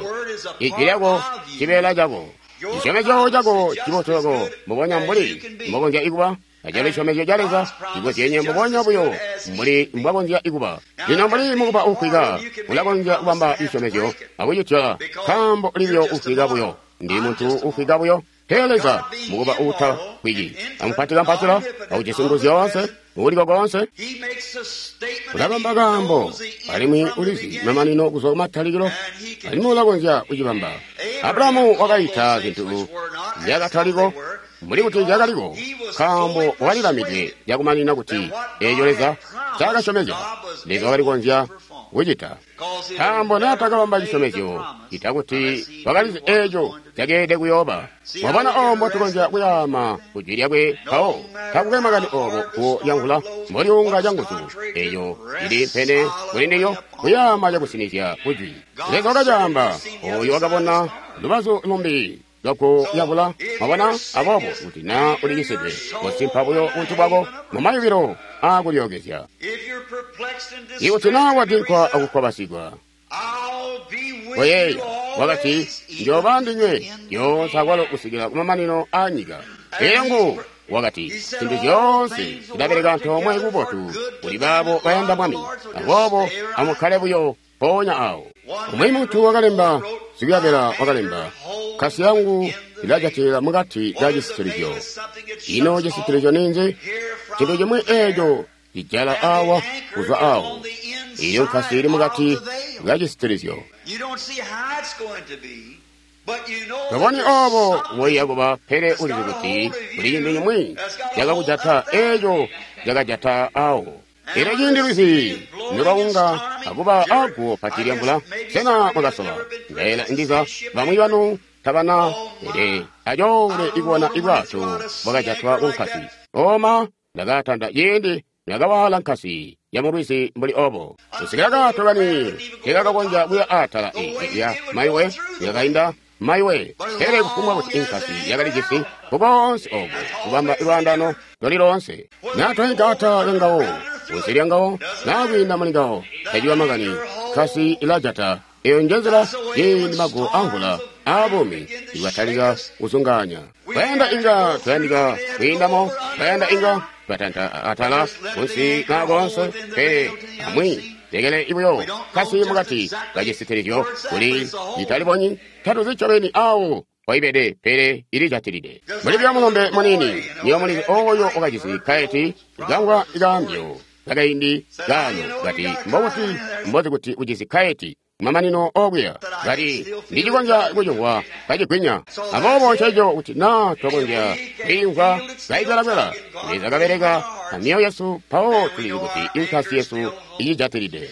Ijwi lyako cibeela cako, cisyomezyo cako cibotu mbubonya mbuli mbokonzya ikuba. Acalo cisyomezyo ca Leza cikozyenye mbubonya buyo mbuli mbwakonzya ikuba. Lino mbuli mukuba uufwika, ulakonzya kubamba cisyomezyo akucityola, nkaambo uli buyo ufwika buyo. Ndi muntu ufwika buyo. Pele Leza mukuba uutafwiki, amupatikampatila, aujisi nguzu zyoonse, uuliko koonse, ulabamba kaambo alimwi ulizi mamanino kuzwa kumatalikilo, alimwi ulakonzya kucibamba. Abrahamu wakaita zintu zyakataliko mbuli kuti zyakaliko, nkaambo wakalilamidwe cakumanina kuti eeco Leza ncaakasyomezya, Leza wakali kukonzya kucita. Nkaambo naatakabamba cisyomezyo, cita kuti wakalizi eeco cakeelede kuyooba. Mwabona oobo mbotukonzya kuyaama ku jwi lyakwe mpawo, takukwe makani oobo guwo lyamvula mbolyuunga canguzu, eeco cili mpene kuli ndilyo kuyaama cakusinizya ku jwi. Leza wakacaamba, ooyo wakabona lubazu lumbi lwaguwo lyamvula. Mwabona, aboobo kuti naa ulicisidwe, kosimpa buyo buntu bwako mumayubilo aakulyookezya. Ikuti naa wadinkwa akukwabasigwa, koyeeya, wakati, njooba ndinywe lyoonse akwalo kusikila kumamanino aanyika. Elyo ngu wakati, zintu zyoonse zilabeleka antoomwe kubotu kuli baabo bayanda Mwami. Aboobo amukkale buyo mpoonya awo. Umwi muntu wakalemba, sikuyabela wakalemba, kasi yangu ilajatilila mukati ka cisitilizyo. Ino cisitilizyo ninzi? Cintu cimwi eeco cijala awa kuzwa awo. Iyo nkasi ili mukati ka cisitilizyo. Toboni obo woiya kuba, pele ulizi kuti kuli cintu cimwi cakakujata eeco cakajata awo. Elyo ciindi lwizi nolwaunga akuba aguwo pati lyamvula, sena mwakasola? Ndaela ndiza bamwi banu tabana, pele acoole ikubona ibwato bwakajatwa kunkasi. Oma ndakatanda ciindi ndakawaala nkasi ya mulwizi mbuli obo, kusikila kato kani tekakakonzya kuya atala ya maiwe yakainda maiwe. Pele kufumbwa kuti inkasi yakalijisi kukoonse obo kubamba lwaandano loli loonse, naa twaigata lyangawo kunsi lyangawo naa kwiinda muli ngawo, taciba makani, nkasi ilajata. Eyo njenzila ciindi maguwo amvula aabuumi ikatalika kuzungaanya. Twayanda inga twayandika kwiindamo, twayanda inga Batanta atala kunsi na koonse, pele amwi lekele ibuyo kasi mukati kacisitilizyo kuli italibonyi tatuzi ncobeni awo waibede, pele ilijatilide. Muli bya mulombe munini, niyo mulizi oyo wakajisi kaeti kangwa ikaambyo kakaindi kano kati mbokuti mbozi kuti ujisi kaeti kumamanino okuya kati ndicikonzya kucimvwa kacigwinya. Aboobo nceco kuti naa twakonzya kwiimvwa kaikwelakwela, Leza kabeleka amyoyo yesu, mpawo tulizi kuti inkasi yesu icijatilide.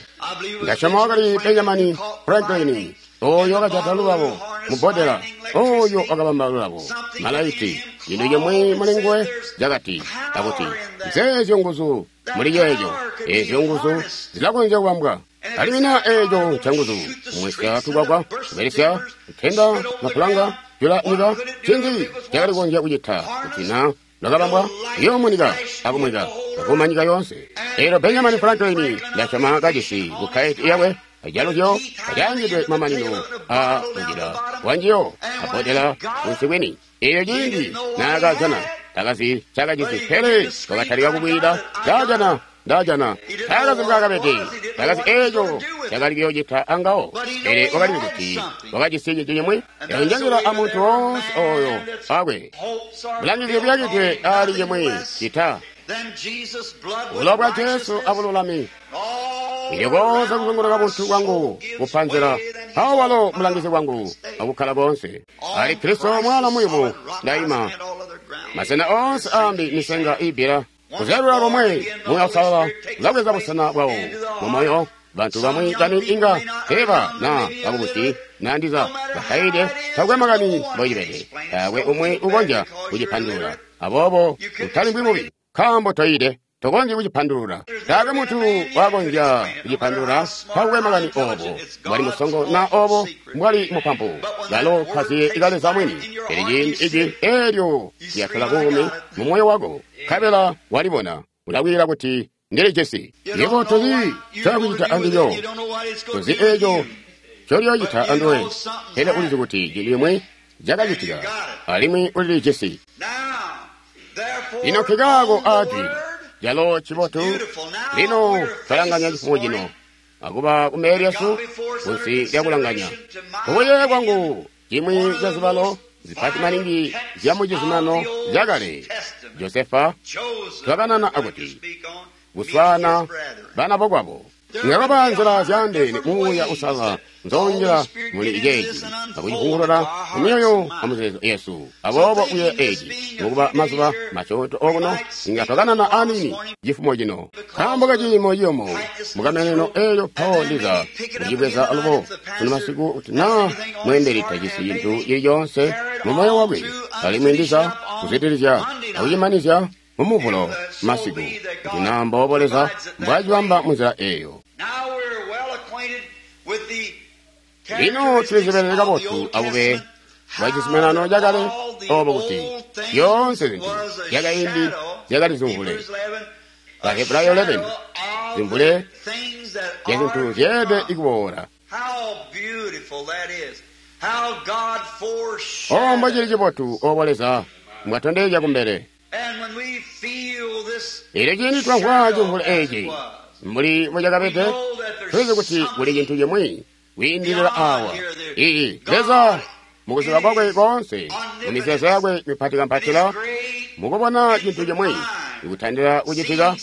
Ndasyoma wakali Benjamin Franklin oyo wakajata lulabo mubbodela, oyo wakabamba lulabo malaiti, cintu cimwi muli nguwe cakati akuti nzeezyo nguzu muli ceeco, eezyo nguzu zilakonzya kubambwa. Alimwi naa eeco ncanguzu kumwisya tukwakwa, kubelesya kutenda mapulanga, jula nyika, ncinzi cakali kukonzya kucita kuti naa lwakabambwa iyoomunika akumwika akuma nyika yoonse. Eelyo Benjamin Franklin ndasyoma kajisi bukkaeti yakwe ajaluzyo kacaangidwe mamanino a mujila wanjiyo abbodela kunsi kwini. Eelyo ciindi naakajana takazi cakajisi, pele wakatalika kubwida ndajana ndajana. Takazi mbwaakabede, takazi eeco cakali kuyoocita angawo, pele wakalizi kuti wakajisi cintu cimwi. Eyo amuntu woonse oyo akwe bulangizi buyakidwe ali cimwi cita bulowa bwa Jesu abululami. Ilyo koonse kuzunguluka buntu bwangu kupanzila, mpawo walo mulangizi wangu akukkala koonse. Ali Kristo mwana muyumu ndaima, masena oonse aambi misenga iibbila. Kuzyalula lomwe Muuya Uusalala ulabweza busena bwawo mumoyo. Bantu bamwi bani inga teeba na bakubusi na ndiza bakaide, takwe makani mbocibede, taakwe umwi ukonzya kucipandulula. Aboobo utalimbwi mubi, nkaambo toyide, tokonzyi kucipandulula. Taakwe muntu wakonzya kucipandulula, takwe makani obo mbwali musongo na obo mbwali mupampu, kalo kaziye ikaleza mwini. Pele ciindi iji eelyo lyatola buumi mu moyo wako, nkabela walibona, ulakwiila kuti ndilijisi. Yebo tozi cakucita andilyo, tozi eeco ncolyoocita anduwe, pele ulizi kuti cintu cimwi cakacitika, alimwi ulilijisi. Lino nkikaako aajwi calo cibotu. Lino twalanganya cifumo cino akuba kumbele lyesu kunsi lyakulanganya kubuyeeya kwangu cimwi ca zibalo zipati maningi zya mucizuminano cakale. Josefa twakanana akuti kuswaana bana bokwabo ngakaba nzila zyaandeene Muuya Uusalala nzonjila muli ceeci akucivungulula mumyoyo amuzeezo yesu. Aboobo kuyeeya eeci mukuba mazuba masyoonto okuno inga twakanana aniini cifumo cino nkaambo kaciimo ciyomo mukameneno eelyo mpawo ndiza kucibweza alubo sunu masiku kuti naa mweembeli tajisi cintu cili coonse mumoyo wakwe, alimwi ndiza kuzwidilizya akucimanizya mumuvulo masiku kuti naa mboobo Leza mbwacibamba munzila eeyo. Lino tulizibelele kabotu abube bwa cizuminano cakale obo kuti zyoonse zintu zyakaindi zyakali zimvule. Bahebrayo eleven, zimvule zya zintu zyeelede kuboola. O mbocili cibotu obo Leza mbwatondezya kumbele. Eelyo ciindi twamvwa cimvule eeci mbuli mbocakabede, tulizi kuti kuli cintu cimwi kwiindilila awa. Ii Leza mukuziba kwakwe koonse, mumizeezo yakwe mipatikampatila, mukubona cintu cimwi ikutandila kucitika,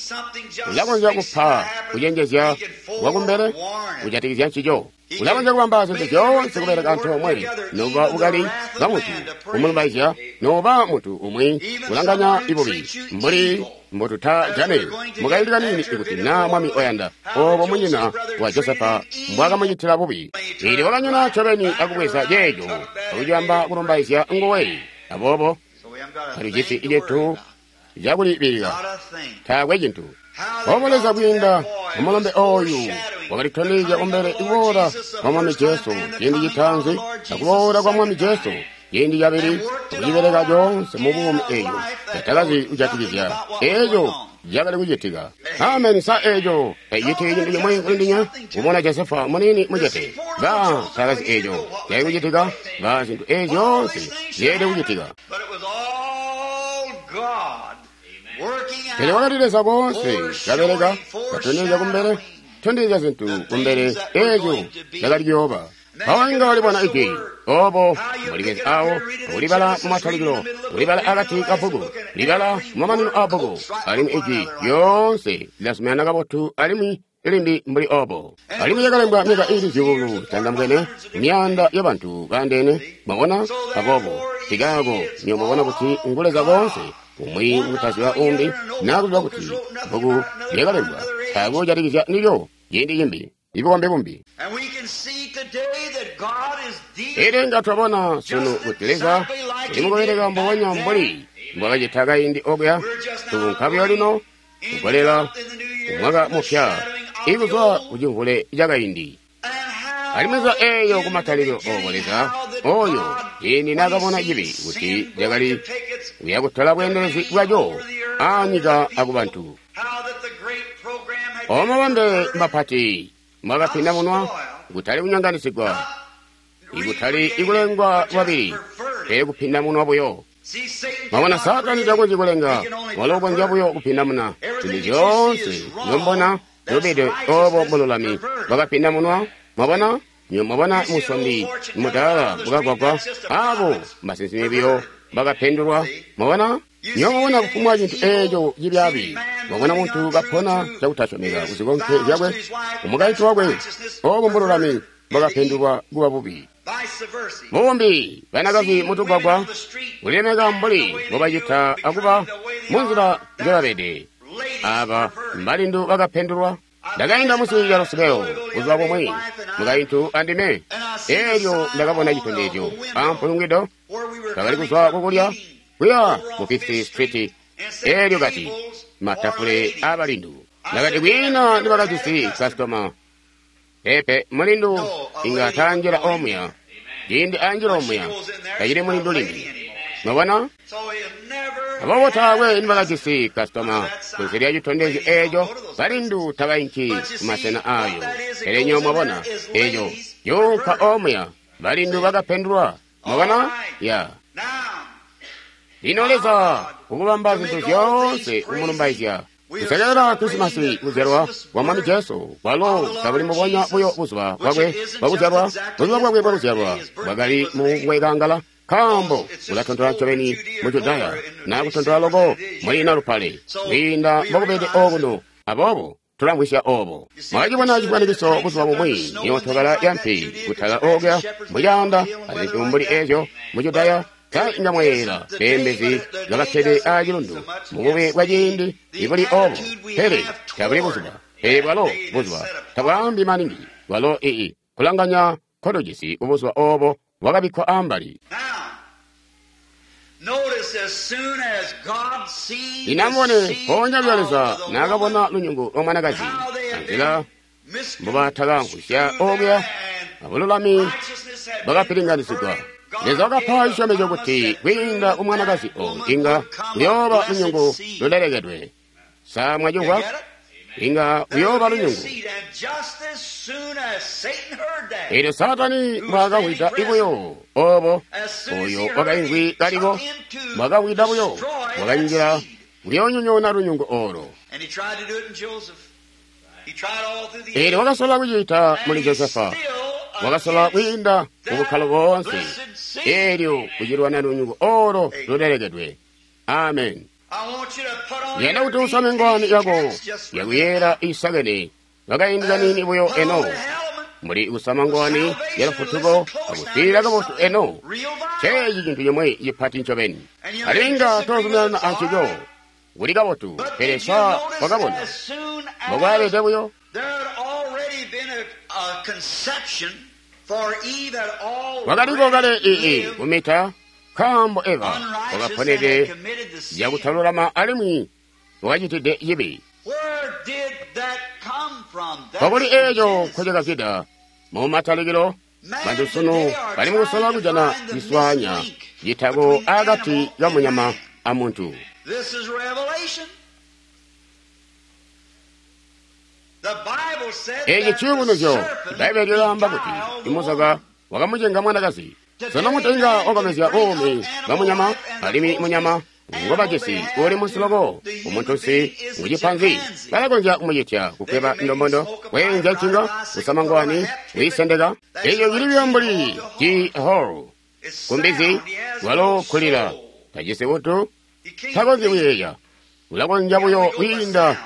ulakonzya kupa kucenjezya kwakumbele kujatikizya ncico. Ulakonzya kubamba zintu zyoonse kubeleka antoomwe, nokuba bukali bwa muntu kumulumbaizya, nokuba muntu umwi kulanganya ibubi, mbuli mbotutajane mukaindi kaniini ikuti naa mwami oyanda obo munyina wa Josefa mbwakamucitila bubi. Eelyo wakanyona ncobeni akubweza ceeco akucibamba kulumbaizya nguwe. Aboobo tatujisi cintu cakulibilika, taakwe cintu. Obo Leza kwiinda mumulombe ooyu wakalitondezya kumbele kuboola kwa Mwami Jesu ciindi citaanzi akuboola kwa Mwami Jesu ciindi cabili, akucibeleka coonse mubuumi eeco catakazi kujatikizya eeco cakali kucitika. Ameni. Sa eeco tacicitiki cintu cimwi kulindinya kubona Josefa muniini mucete? Ba takazi eeco cakali kucitika, ba zintu eezi zyoonse zyeelede kucitika. Pele wakali Leza koonse kabeleka, katondezya kumbele, tondezya zintu kumbele eeco cakali kuyooba. Mpawo inga walibona Ijwi obo mulikezi awo, kulibala mumatalikilo, kulibala akati ka bbuku, libala mumamanino a bbuku, alimwi Ijwi lyoonse lilazuminana kabotu alimwi limbi mbuli obo. Alimwi yakalembwa myaka iili zyuulu zitandambwene, myaanda yabantu baandeene. Mwabona? Aboobo tikaako niyo mwabona kuti ngu Leza koonse, umwi kutaziba umbi, naa kuziba kuti bbuku lyakalembwa taakwe kujatikizya ndilyo ciindi cimbi, ibukombi bumbi. And we can see today that God is dealing Elyo inga twabona sunu kuti Leza uli mukubeleka mbubonya mbuli mbwakacita kaindi okuya. Tukunka buyo lino kugolela kumwaka mupya ikuzwa kucimvule cakaindi. and how Alimwi nzila eeyo in the kumatalikilo obo beginning Leza how that oyo God, ciindi when naakabona he cibi seen kuti sin cakali going to take its kuya kutola bweendelezi bwaco aanyika akubantu. how that the great program had Omo been mabambe perverted, mapati mwakapinda munwa, kutali kunyonganisigwa, ikutali ikulengwa lwabili, pele kupinda munwa buyo. See, Satan Mwabona, cannot Saatani create. takonzyi kulenga, He can only walo ukonzya pervert. buyo kupindamuna zintu zyoonse nyombona lubide obo bululami bwakapinda munwa. Mwabona, nyo mwabona musondi mudaala bukagwagwa, abo mbasinsimi biyo bakapendulwa. Mwabona, nyo mwabona kufumbwa cintu eeco cibyaabi. Mwabona muntu kapona cakutasyomeka kuzikonke zyakwe, umukaintu wakwe, obo mbululami bwakapendulwa kuba bubi. Vice versa. Mubumbi banakazi mutugwagwa kulilemeka mbuli mbobacita akuba munzila njobabede. Aba mbalindu bakapendulwa. Ndakainda munsi lya lusumeo buzuba bumwi, mukaintu andime. Eelyo ndakabona citondezyo ampulungwido, Where we were twakali coming kuzwa from kukulya eating kuya over ku on Fifth Fifth Street. Street, and said Eelyo kati tables matafule for abalindu. Ndakati kwiina nibakajisi kasitoma. Pepe mulindu inga taanjila omuya, ciindi anjila omuya tacili mulindu limbi. Mwabona? So he never Aboobo taakwe nibakajisi kasitoma kunze lya citondezyo eeco, balindu tabainki kumasena ayo. Pele nyo mwabona eeco yuunka omuya, balindu bakapendulwa. Mwabona? Ya. Now, Lino Leza ukubamba zintu zyoonse kumulumbaizya. Kusekelela Krisimasi kuzyalwa kwa Mwami Jesu, kwalo kabuli mbubonya buyo buzuba bwakwe bwakuzyalwa, buzuba bwakwe bwakuzyalwa bwakali mu kuwekangala, nkaambo ulatontola ncobeni mu Judaya naa kutontola loko muli Nalupale kwiinda mbokubede okuno. Aboobo tulamvwisya obo. Mwakacibona cifwanikiso buzuba bumwi nyootokala yampi kutala okuya mucaanda azintu mbuli eezyo mu Judaya. Ta inga mwayeeyela beembezi bakakkede aacilundu mubube bwa ciindi ibuli obo, pele tabuli buzuba, pele bwalo buzuba tabwaambi maningi, bwalo ii kulanganya nkotujisi kubuzuba obo bwakabikkwa ambali. now, notice as soon as God seen Lino the amubone seed mpoonya buyo Leza of the naakabona woman, lunyungu lwa mwanakazi how they had anzila been mbobatakaamvwisya misconstrued okuya and abululami righteousness had been bwakapilinganisigwa. perverted, God Leza wakapa gave a cisyomezyo promise kuti that kwiinda through ku mwanakazi that oyo woman inga would come a kuyooba blessed lunyungu seed. lulelekedwe. Sa You mwacimvwa? get it? Inga There kuyooba would be a lunyungu. seed, and just as soon as Satan heard that, Eelyo Saatani mbwaakawida ibuyo obo, as soon as oyo he heard it, wakaimvwi he kaliko, took into mbwakawida buyo, destroy that wakanjila seed. kuyoonyonyoona lunyungu olo. And he tried to do it in Joseph. He tried all through the Eelyo wakasola kucita And muli he's Josefa, still wakasola against kwiinda mu bukkalo boonse. blessed seed. Eelyo kucilwana lunyungu olo lulelekedwe. Amen. I want you to put on Yenda your kuti usame ngwani yako caps just for a minute. yakuyera isakene ngakaindi kanini buyo Put on eno the helmet muli kusama ngwani ya lufutuko akuswilila kabotu eno Real violence. ceeci cintu cimwe cipati ncobeni alinga tozuminana ancico kuli kabotu But pele did you sa notice wakabona as soon as mbokwaabede buyo there had already been a, a conception for Eve had wakaliko kale already ii lived kumita nkaambo Eva unrighteous and had wakaponede committed the sin. yakutalulama alimwi wakacitide cibi Where did that come from? That's kwakuli eeco Genesis. nkocakazida mu matalikilo Man bantu sunu today are bali mukusola trying to kujana find the ciswanya missing link citako between akati animal ka and munyama man. amuntu. This is revelation. The Bible said Eeci that the ciyubunuzyo serpent Bbaibele lyaamba kuti beguiled the imuzoka woman. wakamucenga mwanakazi. Sono mutenga wakamezya buumi bwa munyama alimwi munyama ngobajisi uli munsi loko umuntunsi ngucipanzi. Balakonzya kumucitya kukweba ndombondo, kweenzya ncinga, kusama ngwani, kuyisendeka. Eyo cili buyo mbuli G hall kumbizi walo kulila tajisi buntu, takonzyi kuyeeya, ulakonzya buyo kwiinda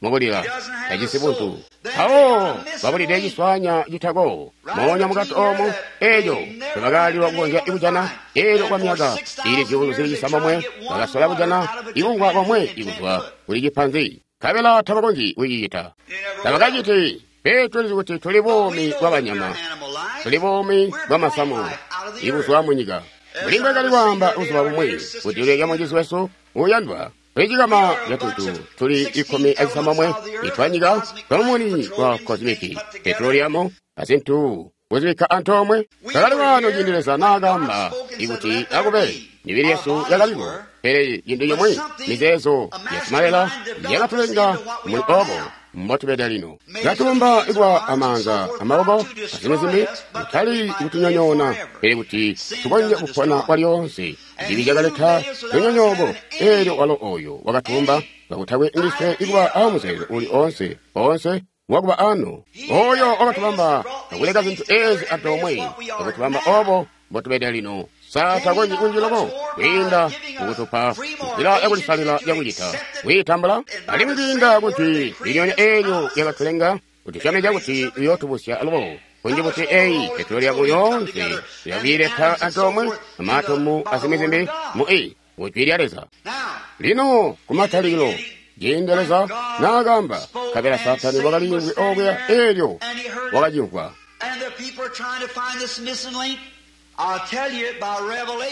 mukulila, tajisi buntu. Mpawo babulide ciswanya citako moonya mukati omo eeco tebakaalilwa kukonzya kujana. Eelyo kwa myaka ili zyuulu zili cisambomwe bakasola kujana ibungwa bomwe ikuzwa kuli cipanzi, nkabela tabakonzyi kucicita. Tabakaciti. Pe tulizi kuti tuli buumi bwa banyama, tuli buumi bwa masamu ibuzwa munyika. Mbuli mbwakali kwaamba buzuba bumwi kuti uleke mucizi wesu uyandwa, twicikama catuntu tuli ikumi acisambomwe itwanyika twamumuni wa kozimiki, petroliamu azintu kuzibikka antoomwe. Twakali waano ciindi Leza naakaamba ikuti akube, mibili yesu yakaliko, pele cintu cimwi, mizeezo yasimalela yakatulenga muli obo mbotubede lino. Katulumba ikuba amaanza amaboko azimwi zimbi, kutali kutunyonyoona, pele kuti tukonzye kupona kwalyoonse. Cibi cakaleta lunyonyooko, eelyo walo oyo wakatulumba kakutakwe ndiswe ikuba amuzeezo uli oonse oonse wakuba ano. Oyo wakatubamba akuleka zintu ezi antoomwe, akutubamba obo mbotubede lino. Sa takonzyi kunji loko kwiinda mukutupa nzila yakulisalila yakucita kwiitambula, alimwi kwiinda kuti lilyonya eelyo lyakatulenga kutusyomezya kuti uyootubusya alubo kunji kuti eyi petroliamu yoonse yakwiileta antoomwe amaatomu azimwi zimbi mu i kujwi lya Leza. Lino kumatalikilo ciindi Leza naakaamba, nkabela Saatani wakaliimvwi okuya, eelyo wakacimvwa.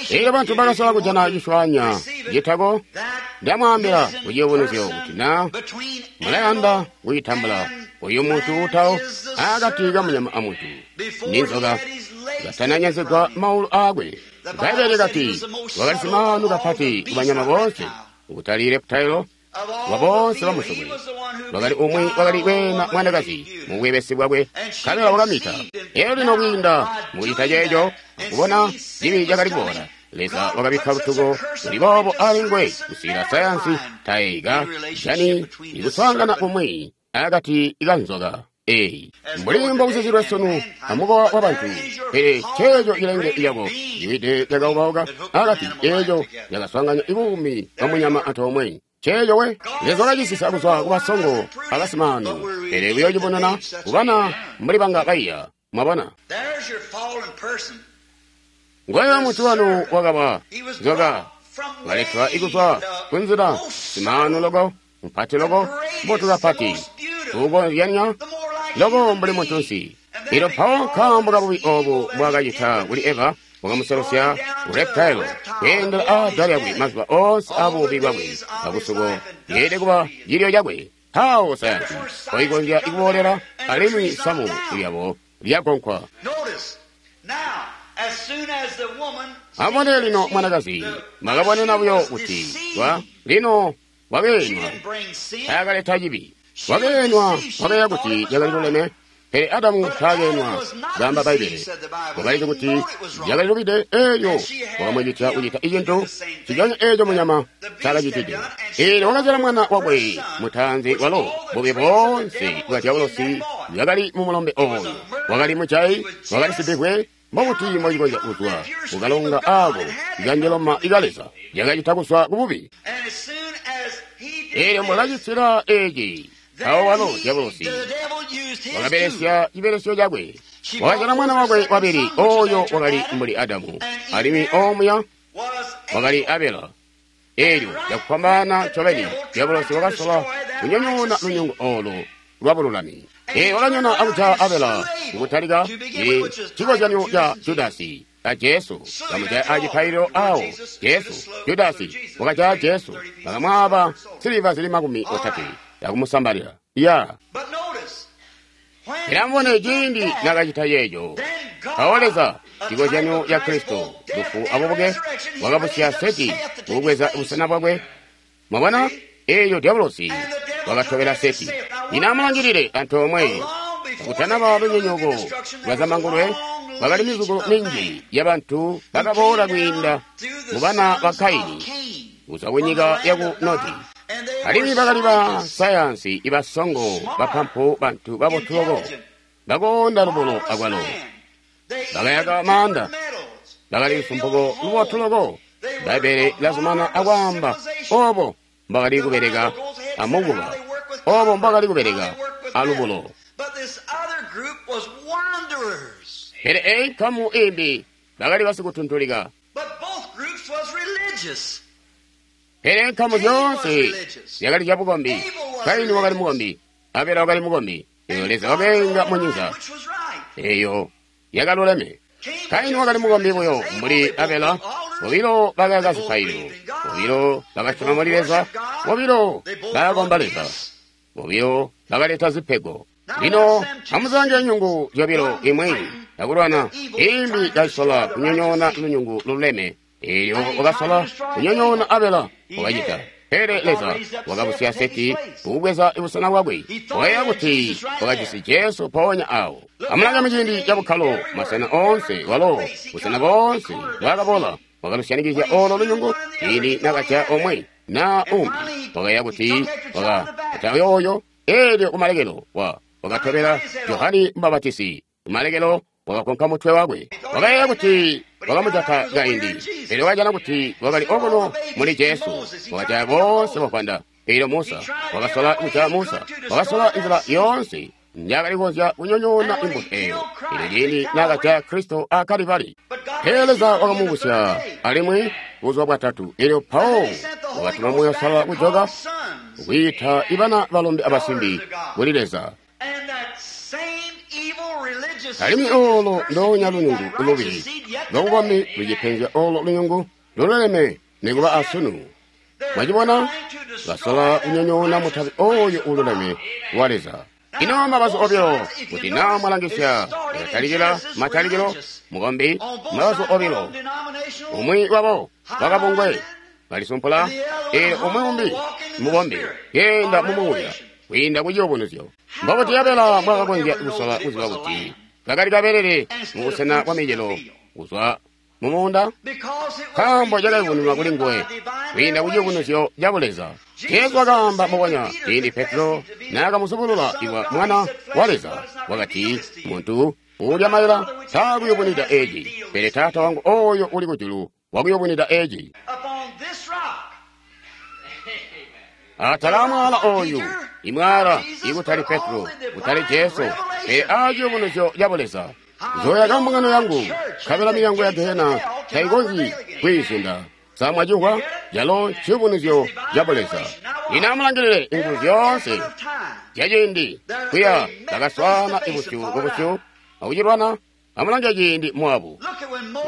Eelyo bantu bakasola kujana ciswanya citako. Ndamwaambila kuciyubunuzyo kuti na mulayanda kucitambula, uyu muntu utawo akati kamunyama amuntu ninzoka katananyazigwa maulu aakwe. Bbaibbele likati wakali simaanu kapati kubanyama boonse, kutali reptile wa boonse bamusokwe. Wakali umwi wakali kweena mwanakazi mu bwebesi bwakwe, nkabela wakamita. Eelyo lino kwiinda mukucita ceeco, akubona cibi cakali kuboola, Leza wakabikka lutuko luli boobo ali nguwe kusikila sayansi taika jani ikuswaangana kumwi akati kanzoka eyi mbuli mbokuzizilwe sunu amukowa wa bantu. Pele ceeco cilenge cako ciwide cakaubauka akati eeco cakaswaanganya ibuumi bwa munyama antoomwe. Ceeco we Leza wakacisisa kuzwa kubasongo abasimaanu, pele buyoocibonana kubana mbuli banga baiya. Mwabona, ngoyo muntu wanu wakaba nzoka waletwa ikuzwa kunzila simaanu loko mpati loko mbotu kapati ukonzyanya loko mbuli muntunsi. Ilo mpawo nkaambo kabubi obu mbwaakacita kuli Eva, wakamuselosya ureptile kweendela aada lyakwe mazuba oonse abubi bwakwe akusuko yeelede kuba cilyo cakwe. Mpawo sayansi koikonzya ikuboolela, alimwi samu lyabo lyagonkwa. Amubone lino mwanakazi, mwakabonena buyo kuti wa lino wakeenwa, taakaleta cibi. Wakeenwa, wakayeeya kuti cakali luleme, pele Adamu taakeenwa, kaamba Bbaibbele. Wakalizi kuti cakali lubide, eelyo wakamucitya kucita icintu nciconya eeco munyama ncaakacitide. Eelyo wakazyala mwana wakwe mutaanzi walo bubi boonse bwa dyabolosi bwakali mumulombe ooyo. Wakali mujayi, wakali sibivwe. Mbobuti mbocikonzya kuzwa kukalonga aako ikanjeloma ika Leza yakacita kuzwa kububi? Eelyo mbwakacitila eeci, mpawo walo dyabolosi wakabelesya cibelesyo cakwe, wakazyala mwana wakwe wabili, ooyo wakali mbuli Adamu, alimwi oomuya wakali Abela. Eelyo cakufwambaana ncobeni dyabolosi wakasola kunyonyoona lunyungu oolo lwabululami. Ee, wakanyona akujaya Abela kukutalika cikozyanyo ca Judasi a Jesu kamujaya acipaililo awo Jesu. Judasi wakajaya Jesu, bakamwaaba nsiliva zili makumi otatwe akumusambalila. Ya pele amubone ciindi nakacita ceeco, mpawo Leza, cikozyanyo ca Kristo, lufu abubuke, wakabusya Seti kukubweza busena bwakwe. Mwabona, eelyo dyabolosi wakatobela Seti. Lino amulangilile antoomwe kakutanaba lunyonyooko lwa zambangulwe, kwakali mizuko minji yabantu bakaboola kwiinda mu bana ba Kaini kuzwa kunyika yaku Nodi. Alimwi bakali ba sayansi ibasongo, bapampu, bantu babotu loko, bakoonda lubulo akwalo. Bakayaka maanda, bakali lusumpuko lubotu loko. Bbaibbele lazumana akwaamba obo mbakali kubeleka amukuba, obo mbakali kubeleka alubulo. Pele eyi nkamu imbi bakali basikutuntulika. Pele nkamu zyoonse zyakali zyabukombi. Kaini wakali mukombi, Abela wakali mukombi. Eyo Leza wakeenga munyinza eyo yakaluleme. Kaini wakali mukombi buyo mbuli Abela. Bobilo bakayaka zipaililo, bobilo bakasyoma muli Leza, bobilo bakakomba Leza, bobilo bakaleta zipego. Lino amuzilange nyungu zyobilo, imwi yakulwana, imbi kayisola kunyonyoona lunyungu luleme. Eelyo wakasola kunyonyoona Abela, wakacita. Pele Leza wakabusya Seti kukubweza busena bwakwe. Wakayeeya kuti wakajisi Jesu mpoonya awo. Amulange muciindi cabukkalo, masena oonse walo, busena boonse bwakabola, wakalusyanikizya olo lunyungu. Ciindi nakajaya omwe naa umbi, wakayeeya kuti wakajaya yooyo. Eelyo kumalekelo wa wakatobela Johane Mubapatizi. Kumalekelo wakakonka mutwe wakwe. Wakayeeya kuti wakamujata kaindi, pele wakajana kuti wakali okuno muli Jesu. Wakajaya boonse bavwanda. Eelyo Musa wakasola kujaya Musa, wakasola nzila yoonse njakali kukonzya kunyonyoona imbuto eyo. Eelyo ciindi nakajaya Kristo a Kalibali, pele Leza wakamubusya alimwi buzuba bwatatu. Eelyo Paulo wakatuma Muuya Uusalala kujoka kwiita ibana balombe abasimbi kuli Leza. Alimwi olo ndoonya lunyungu lubi lwabukombi lucipenzya olo lunyungu lululeme nikuba asunu. Mwacibona, basola kunyonyoona mutabi oyo ululeme wa Leza. Ino mabazu obilo, kuti naa mwalangisya yatalikila matalikilo mukombi, mabazu obilo, umwi wabo wakabungwe balisumpula, eelyo umwi umbi mukombi keenda mumuuya kwiinda kuciyubunuzyo. Mbobuti Abela mbwakakonzya kusola kuziba kuti kakali kabelele mubusena bwa micelo kuzwa mumuunda? Nkaambo cakayubununwa kuli nguwe kwiinda kuciyubunuzyo ca Buleza. Jesu wakaamba mbubonya ciindi Petro naakamusubulula iwa Mwana wa Leza, wakati, muntu uulya maila taakuyubunwida eeci, pele Taata wangu oyo uli kujulu wakuyubunwida eeci. Atala mwaala oyu, imwaala ikutali Petro, kutali Jesu, pele aciyubunuzyo ca Buleza. Nzooyaka mbungano yangu, nkabela milyango ya gehena taikonzyi kwiizunda. Sa mwacimvwa? Calo nciyubunuzyo ca Buleza. Lino amulangilile inguzu zyoonse zyaciindi kuya bakaswaana ibusyu kubusyu akucilwana. Amulange ciindi Moabu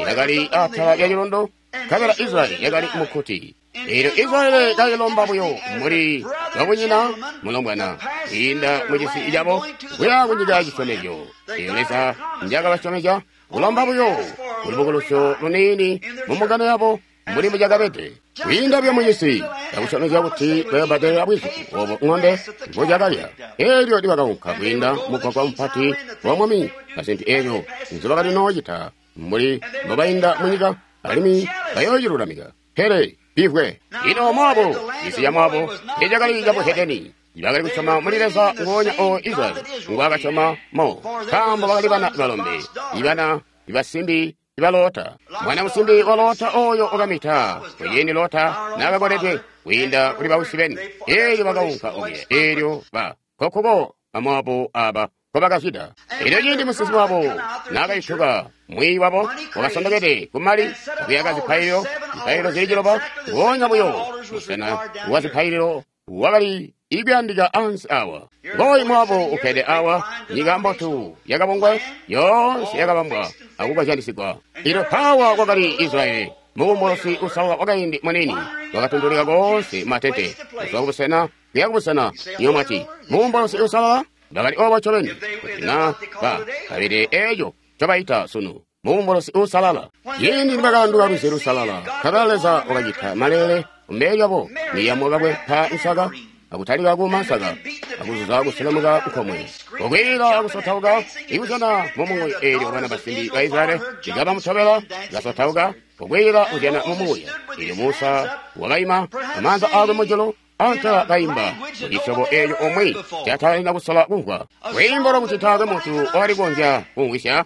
yakali atala lya cilondo, nkabela Israyeli yakali mukkuti. Eelyo Israyeli kailomba buyo mbuli babunyina mulombwana kwiinda mucisi cabo kuya kunyika ya cisyomezyo. Eelyo Leza njaakabasyomezya kulomba buyo kulubukulusyo luniini mumbungano yabo mbuli mbucakabede. Kwiinda buyo mucisi cakusyomezya kuti bayobbadelela bwizu obo ŋombe mbucakalya. Eelyo nibakaunka kwiinda mugwagwa mupati wa mwami azintu eezyo nzibakali noocita mbuli mbobainda munyika, alimwi bayoocilulamika. Pele bivwe. Ino Moabu, cisi ca Moabu ecakali cabuhedeni, bakali kusyoma muli Leza ngoonya o Israyeli ngwaakasyoma mo, nkaambo bakali bana balombe, ibana ibasimbi iba Lota. Mwana musimbi wa Lota oyo wakamita kuciindi Lota naakakoledwe kwiinda kuli bawisi beni. Eelyo bakaunka okuya, eelyo ba kokkuko Bamoabu aba nkobakazwida. Eelyo ciindi musinsimi wabo naakayutuka, mwiiyi wabo wakasondokede kumali akuyaka zipaililo, zipaililo zili ciloba, ngoonya buyo musena wa zipaililo wakali ikuyandika ansi awa. Ngooyu Moabu ukkede awa, nyika mbotu yakabungwe yoonse yakabambwa akukozyanisigwa. Eelyo mpaawa kwakali Israyeli, mubumbulusi usalala wakaindi muniini, wakatundulika koonse matente kuzwa kubusena kuya kubusena. Iyo mwati mubumbulusi usalala? Bakali obo ncobeni, kuti na ba kabede eeco ncobaita sunu mubumbulusi uusalala. Ciindi nibakaanduka lwizi lusalala, nkabela Leza wakacita maleele kumbele lyabo, Miriamu wakakwempa nsaka akutalika kuuma nsaka, akuzuza kuselemuka nkomwe, kukwiila akusotauka, ikuzyana mumuuya. Eelyo bana basimbi ba Israyeli ikabamutobela, kasotauka, kukwiila kuzyana mumuuya. Eelyo Musa wakaima amaanza aakwe mujulu, antela kaimba mucisyobo eeco omwe cataina kusola kumvwa. Lwiimbo lwakuti taakwe muntu wakali kukonzya kumvwisya,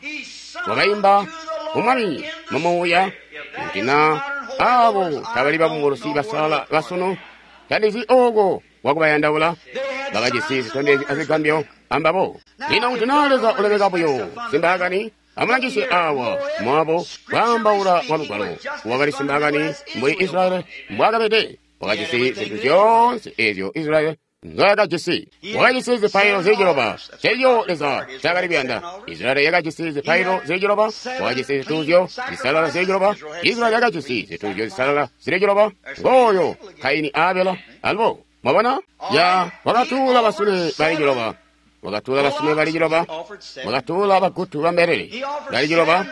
wakaimba kumwami mumuuya. Kuti na abo tabali babumbulusi basalala basunu, tandizi ooko wakubayandaula. Bakajisi zitondezyo azigambyo ambabo. Lino kuti naa Leza ulemeka buyo simbaakani, amulangisye awa Moabu kwaambaula kwa Lugwalo. Wakali simbaakani mbuli Israyeli mbwaakabede. Wakajisi zintu zyoonse eezyo Israyeli nzoyakajisi. Wakajisi zipailo zili ciloba, ceeco Leza ncaakali kuyanda. Israyeli yakajisi zipailo zili ciloba. Wakajisi zituuzyo zisalala zili ciloba. Israyeli yakajisi zituuzyo zisalala zili ciloba. Ngooyo Kaini Abela alubo. Mwabona? Ya wakatuula basune bali ciloba. Wakatuula basune bali ciloba. Wakatuula bagutu ba mbelele bali ciloba.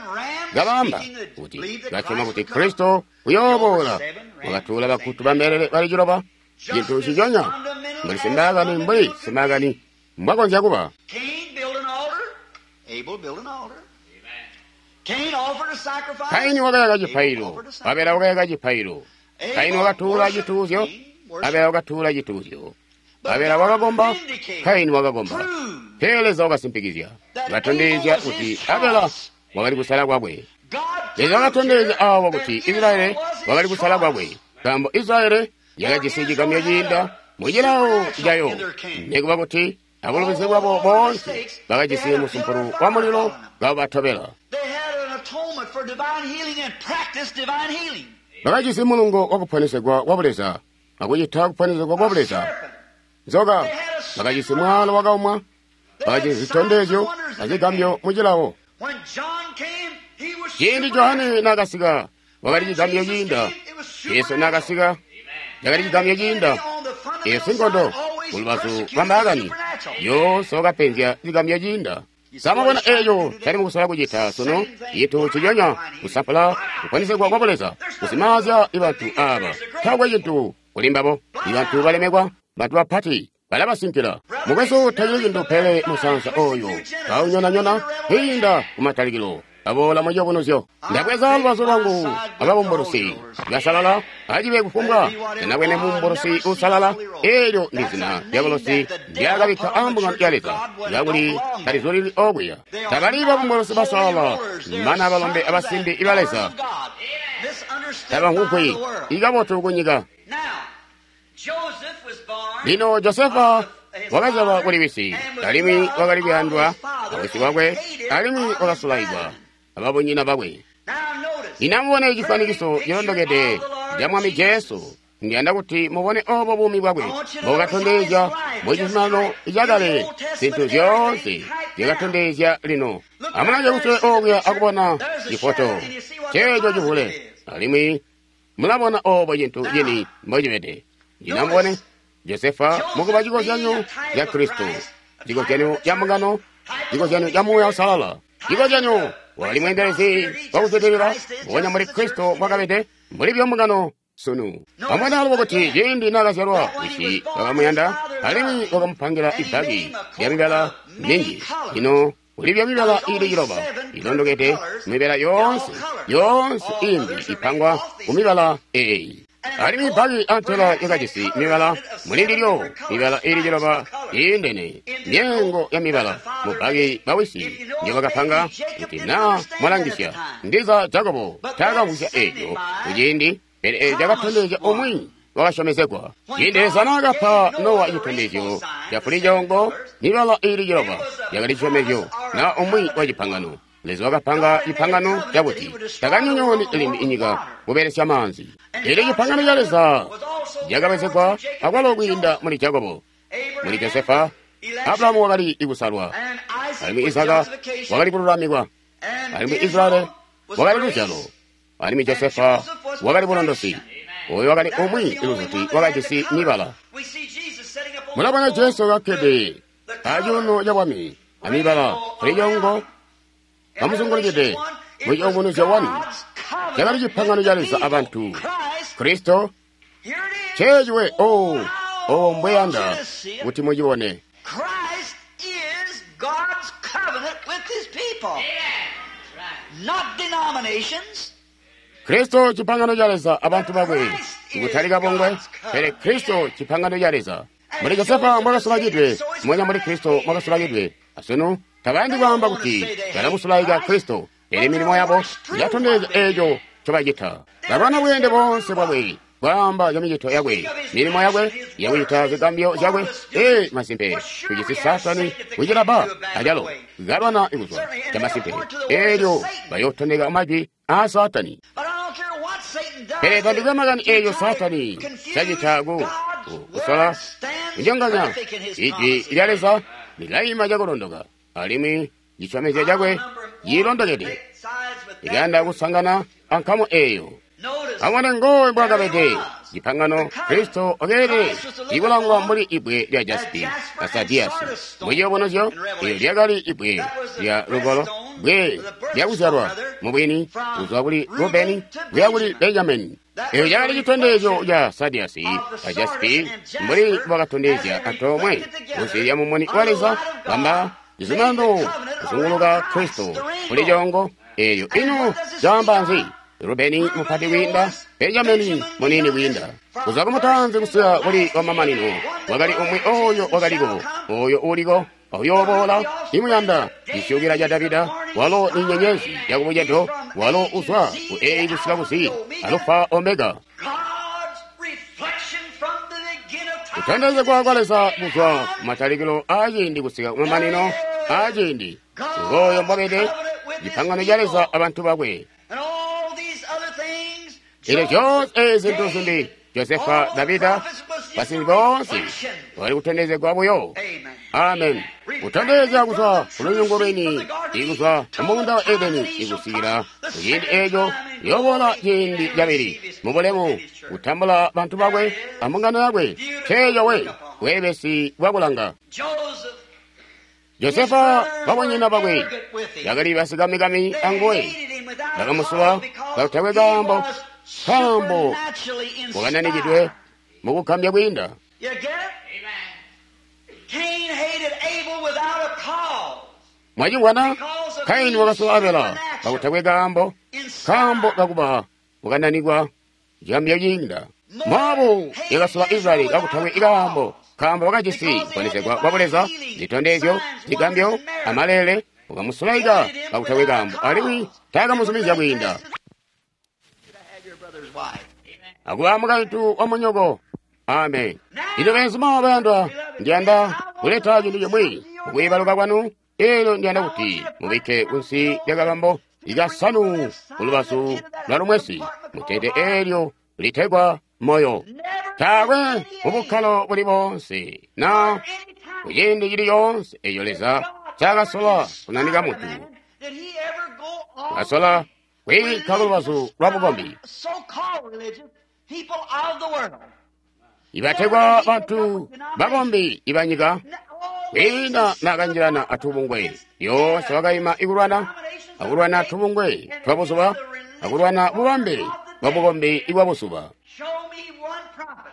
Kabamba kuti basyoma kuti Kristo uyooboola. Wakatuula bagutu ba mbelele bali ciloba. Cintu ciconya mbuli simbaakani, mbuli simbaakani mbwakonzya kuba. Kaini wakayaka cipailo, Abela wakayaka cipailo. Kaini wakatuula cituuzyo, Abela wakatuula cituuzyo. Abela wakakomba, Kaini wakakomba. Pele Leza wakasimpikizya, wakatondezya kuti Abela wakali kusala kwakwe. Leza wakatondezya awa kuti Israyeli wakali kusala kwakwe, nkaambo Israyeli yakajisi cigamyo ciinda mucilawo cayo. Nikuba kuti abulubizi bwabo boonse bakajisi musumpulu wa mulilo kabatobela. Bakajisi mulungo wa kuponesegwa kwa Buleza akucita kuponesegwa kwa Buleza. Nzoka bakajisi mwalo wakaumwa, bakajisi zitondezyo azigambyo mucilawo. Ciindi Johane naakasika, wakali cigambyo ciinda. Yesu naakasika, cakali cigambyo ciinda. Eyo sinkondo kulubazu lwa mbaakani yoonse wakapenzya cigambyo ciinda. Samabona eeco cali mukusola kucita sunu, cintu ciconya kusampula kuponesegwa kwa Buleza, kusimaazya bantu aaba. Taakwe cintu kuli mbabo. Ibantu balemekwa, bantu bapati balabasinkila. Mukwesu, tacili cintu pele musansa oyo kaunyonanyona kwiinda kumatalikilo. Aboola muciyubunuzyo. Ndabweza lubazu lwangu ababumbulusi basalala, acibe kufumbwa ndinabwene mumbulusi uusalala. Eelyo ndi zina dyabulusi ndyakabikka ambungano ya Leza, kakuli talizulili okuya. Tabali babumbulusi basalala, mana balombe abasimbi iba Leza tabamvwugwi ikabotu kunyika. Lino Josefa wakazyalwa kuli wisi, alimwi wakali kuyandwa awisi wakwe, alimwi wakasulaikwa ababunyina bakwe. Lino amubone cifwanikiso cilondokede ca Mwami Jesu. Ndiyanda kuti mubone obo buumi bwakwe mbobukatondezya mu cizuminano cakale, zintu zyoonse zyakatondezya lino. Amulange kusule okuya akubona cifoto ceeco civule, alimwi mulabona obo cintu cini mbocibede. Lino amubone Josefa mukuba cikozyanyo ca Kristo, cikozyanyo ca mbungano, cikozyanyo ca Muuya Uusalala, cikozyanyo wakali mweendelezi wakuzwidilila mbubonya mbuli Kristo mbwakabede, mbuli byo mbungano sunu. Amubone alubo kuti ciindi naakazyalwa, wisi wakamuyanda alimwi wakamupangila ibbaki lyamibala minji. Lino kuli byamibala iili ciloba ilondokede mibala yoonse, yoonse iimbi ipangwa kumibala eeyi. Alimwi ibbaki antela yakajisi mibala mulindilyo, mibala iili ciloba iindene, myeengo ya mibala mubbaki bawisi njobakapanga. Kuti naa mwalangisya, ndiza Jakobo taakamvwisya eeco kuciindi, pele eeco cakatondezya umwi wakasyomezegwa. Ciindi Leza naakapa Nowa citondezyo ca fulicoongo, mibala iili ciloba yakali cisyomezyo na umwi wa cipangano. Leza wakapanga cipangano cakuti takanyonyooni limbi inyika kubelesya maanzi. Eelyo cipangano ca Leza cakabwezegwa akwalo kwiinda muli Jakobo, muli Josefa. Abrahamu wakali kusalwa, alimwi Izaka wakali kululamikwa, alimwi Israyeli wakali luzyalo, alimwi Josefa wakali bulondosi. Oyo wakali umwi iluzuti wakajisi mibala. Mulabona Jesu kakkede acuuno ca bwami amibala fulicoongo kamuzungulukide mu ciyubunuzyo wani. Cakali cipangano ca Leza abantu Kristo. Ceeciwe o o mbweyanda kuti mucibone. people, not denominations. Kristo cipangano ca Leza abantu bakwe kutali kabungwe, pele Kristo cipangano ca Leza. Muli Josefa mwakasulakidwe, mwenya muli Kristo mwakasulakidwe. Asunu tabayandi kwaamba kuti balamusulaika Kristo, pele milimo yabo yatondezya eeco ncobacita. Balwana bweende boonse bwakwe, kwaamba camicito yakwe, milimo yakwe, yakucita zigambyo zyakwe. Ee, masimpe, tujisi Saatani kucilaba acalo kalwana kuzwa camasimpe. Eelyo bayootondeka majwi aa Saatani. But I don't care what Satan does. Pele tandikwe makani to eeyo try to Saatani confuse cacita ku God's ku- kusola word stands kunyonganya perfect in his ijwi promises. lya Leza lilaima cakulondoka alimwi cisyomezyo cakwe cilondokede ikayanda kusangana ankamu eeyo. Notice, Amone ngowe mbwakabede cipangano Kristo okeelede ikulangwa mbuli ibwe lya jaspi na sadiyasi. Muciyubunuzyo eelyo lyakali ibwe lya lugolo, bwe lyakuzyalwa mubwini kuzwa kuli Rubeni kuya kuli Benjamini. Eeyo cakali citondezyo ca sadiyasi a jaspi mbuli bwakatondezya antoomwe kunsi lya mumuni wa Leza bamba cizuminano kuzunguluka Kristo kuli coongo. Eeyo ino caamba nzi? Rubeni mupati kwiinda, Benjamini munini kwiinda. Kuzwa kumutanzi kusika kuli wamamanino, wakali umwi oyo wakaliko, oyo uliko, uyooboola, imuyanda, cisyukila ca Davida, walo ni nyenyezi yakubucedo, walo uzwa ku A kusika ku Z, Alufa Omega. God's reflection from the beginning of time. Kutondezegwa kwa Leza kuzwa kumatalikilo aaciindi kusika kumamanino aaciindi. Ngooyo mbwabede, cipangano ca Leza abantu bakwe. And all these other things, Eelyo zyoonse Joseph, zintu zimbi David, Josefa, all the Davida, prophets was just basinzi a boonse reflection. bakali kutondezegwa buyo. Amen. Amen. Kutondezya kuzwa ku lunyungu lwini, ikuzwa ku muunda wa Edeni, ikusikila kuciindi eeco yooboola ciindi cabili mubulemu kutambula bantu bakwe ambungano yakwe. Nceeco we bweebesi bwakulanga. Joseph, Josefa babonyina bakwe bakali basikamikami they anguwe. hated him without a Bakamusula cause because kakutakwe he kaambo, was nkaambo supernaturally wakananikidwe inspired. mukugambya kwiinda. You get it? Cain hated Abel without a cause. Mwachingwana Kaini wakasula Abela kakutakwe kaambo, kaambo kakuba wakananikwa chigambyo chiinda. Mowabu yakasula Israeli kakutakwe ikaambo, kaambo wakajisi kuponesegwa kwa buleza, zitondezyo, zigambyo, amalele, wakamusulaika kakutakwe kaambo, alimwi taakamuzumizya kwiinda. Have your brother's wife. Akuba mukaintu wa munyoko. Amen. Ino benzuma bayandwa, ndiyanda kuleta cintu chimwi mukwiibaluka kwanu. Eelyo ndiyanda kuti mubikke kunsi lya kabambo ikasanu kulubazu lwa lumwesi mutete eelyo litegwa moyo. Never Taakwe mubukkalo buli bonse na any time kuciindi cili coonse eeyo Leza ncaakasola kunanika munthu, did he ever go on kasola kwiikka kulubazu lwa bukombi. so-called religious people of the world? Ibategwa bantu bakombi ibanyika kwiinda nakanjilana atubungwe yoonse wakayima ikulwana akulwana tubungwe twa buzuba akulwana bubambe bwa bukombi ibwa buzuba. Show me one prophet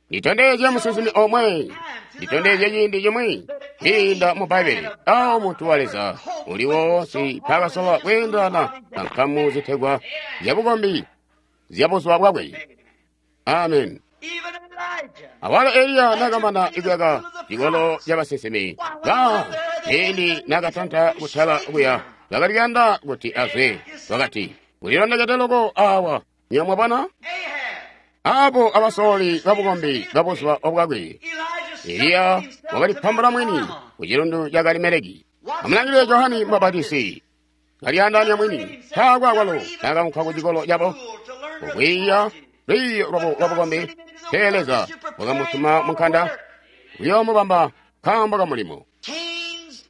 Nditondezye musinsimi omwe, nditondezye ciindi chimwi kwiinda mu Bbaibili awo munthu wa Leza uli wonse mpaakasola kwiindana na nkamu zitegwa zyabukombi zya buzuba bwakwe. Amen. even Elijah. Awalo Eliya nakamana ikuyaka cikolo ca basinsimi ba ciindi nakatanta kutala kuya bakali kuyanda kuti azwe wakati kulilondekete loko awa nyo mwabona Ahab, apo abasololi babukombi babuzuba obwakwe. Elijah Eliya wakalipambula mwini ku chilundu cha Karimeleki. Amulangilire Johani Mbabatisi kaliyandanya mwini taakwe akwalo nakamuka ku cikolo cabo kukwiiya lwiiyo lwabo lwabukombi. Pele Leza wakamutuma munkanda kuyoomubamba nkaambo ka mulimo. Cain's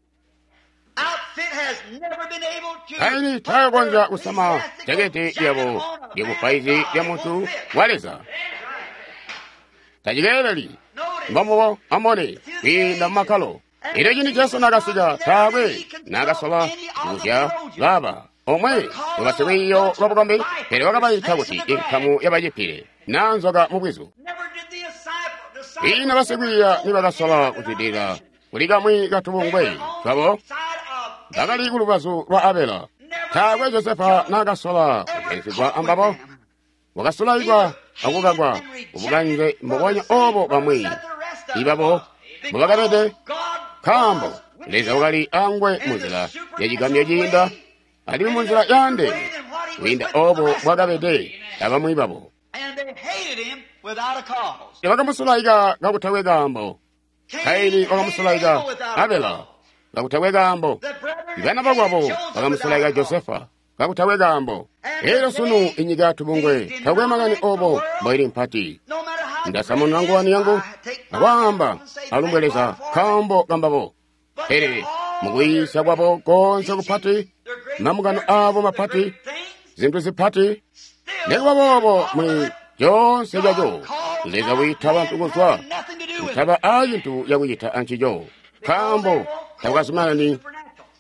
outfit has never been able to Kaini taakonzya kusama jaketi lyabo lyabupaizi lya muntu wa Leza. Tacikeeleli mbambubo amone kwiinda mumakkalo. Elyo cindi Jesu nakasika taakwe nakasola kuzya laba omwe wabasilwiiyo lwa bukombi, pele wakabaita kuti inkamu yabacipile naa nzoka mubwizu. Never did the disciple, disciple Kwiina basikwiiya nibakasola kuzwidilila kuli kamwi katubungwe twabo side of Bakali kulubazu lwa Abela. Taakwe Josefa naakasola kujayisigwa ambabo. Wakasulaikwa akukakwa kubukanze mbubonya obo bamwi ibabo mbubakabede, nkaambo Leza wakali angwe munzila yacigambyo ciinda alimwi munzila yaandeene kwiinda obo bwakabede abamwi babo. Bakamusulaika kakutakwe kaambo. Kaini wakamusulaika Abela kakutakwe kaambo. Bana bakwabo bakamusulaika Josefa kakutakwe kaambo. Elyo sunu inyika tubungwe takwe makani obo mboili mpati. Ndasamununa nguwani yangu akwaamba alumbwe Leza nkaambo kambabo. Pele mukuyiisya kwabo konse kupati, mamukano abo mapati, zintu zipati, nekuba boobo muli coonse caco Leza wiita bantu kuzwa kutaba a cintu cakucita ancico, nkaambo takukazumanani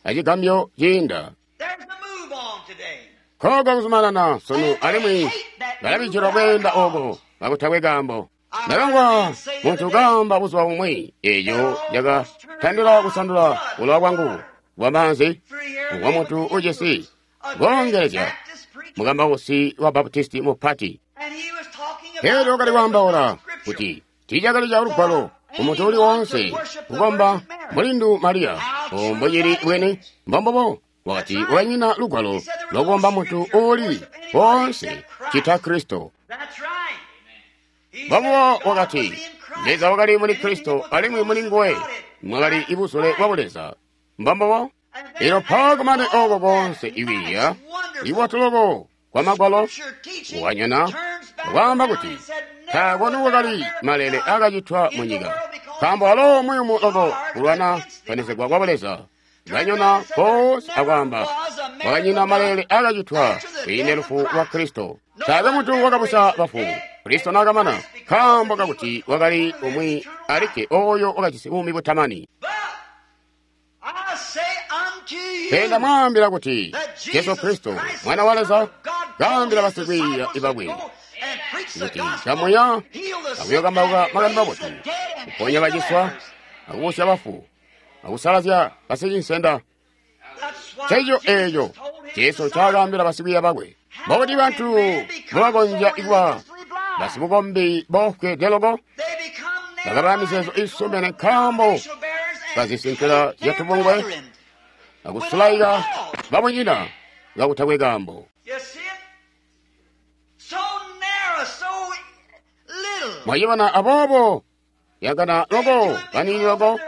acigambyo ciinda. Koko kuzumanana sunu alimwi balabijilwa kweenda oko kakutakwe kaambo. Ndakangwa muntu kaamba buzuba bumwi eco cakatandila kusandula bulowa bwangu bwamaanzi bwa muntu ujisi koongelezya mukambausi wa Baptisti mupati. Elyo wakali kwaambaula kuti tiicakali ca lugwalo kumuntu uli woonse kukomba mulindu Mariya mbocili bwene mbombobo. Wakati wakanyina lugwalo lokukomba muntu uuli woonse cita Kristo. Mbombobo wakati Leza wakali muli Kristo alimwi muli nguwe mwakali ibuzule bwa Buleza. Mbombobo. Elyo mpawo oko konse iwiiya iwatuloko kwa magwalo wanyana waamba kuti taakwe nikwakali malele akacitwa munyika, nkaambo alo muyumu loko kulwana kuponesegwa kwa Buleza. Banyona konse akwaamba kwakanyina malele akacitwa kwiinde lufu lwa Kristo. Taakwe muntu wakabusya bafu Kristo naakamana, nkaambo kakuti wakali umwi alikke oyo wakajisi buumi butamani. Pele ndamwaambila kuti Jesu Kristo Mwana wa Leza kaambila basikwiiya bakwe kuti kamuya akuyokambauka makani mabotu, kuponya baciswa, akubusya bafu, akusalazya basicinsenda. Nceeco eeco Jesu ncaakaambila basikwiiya bakwe. Mbokuti bantu mbobakonzya kuba basibukombi bofweede loko, bakaba mizeezo iisumene nkaambo bazisinkila zyatubungwe akusulaika babunyina kakutakwe kaambo. Mwayibona aboobo yakana loko baniini loko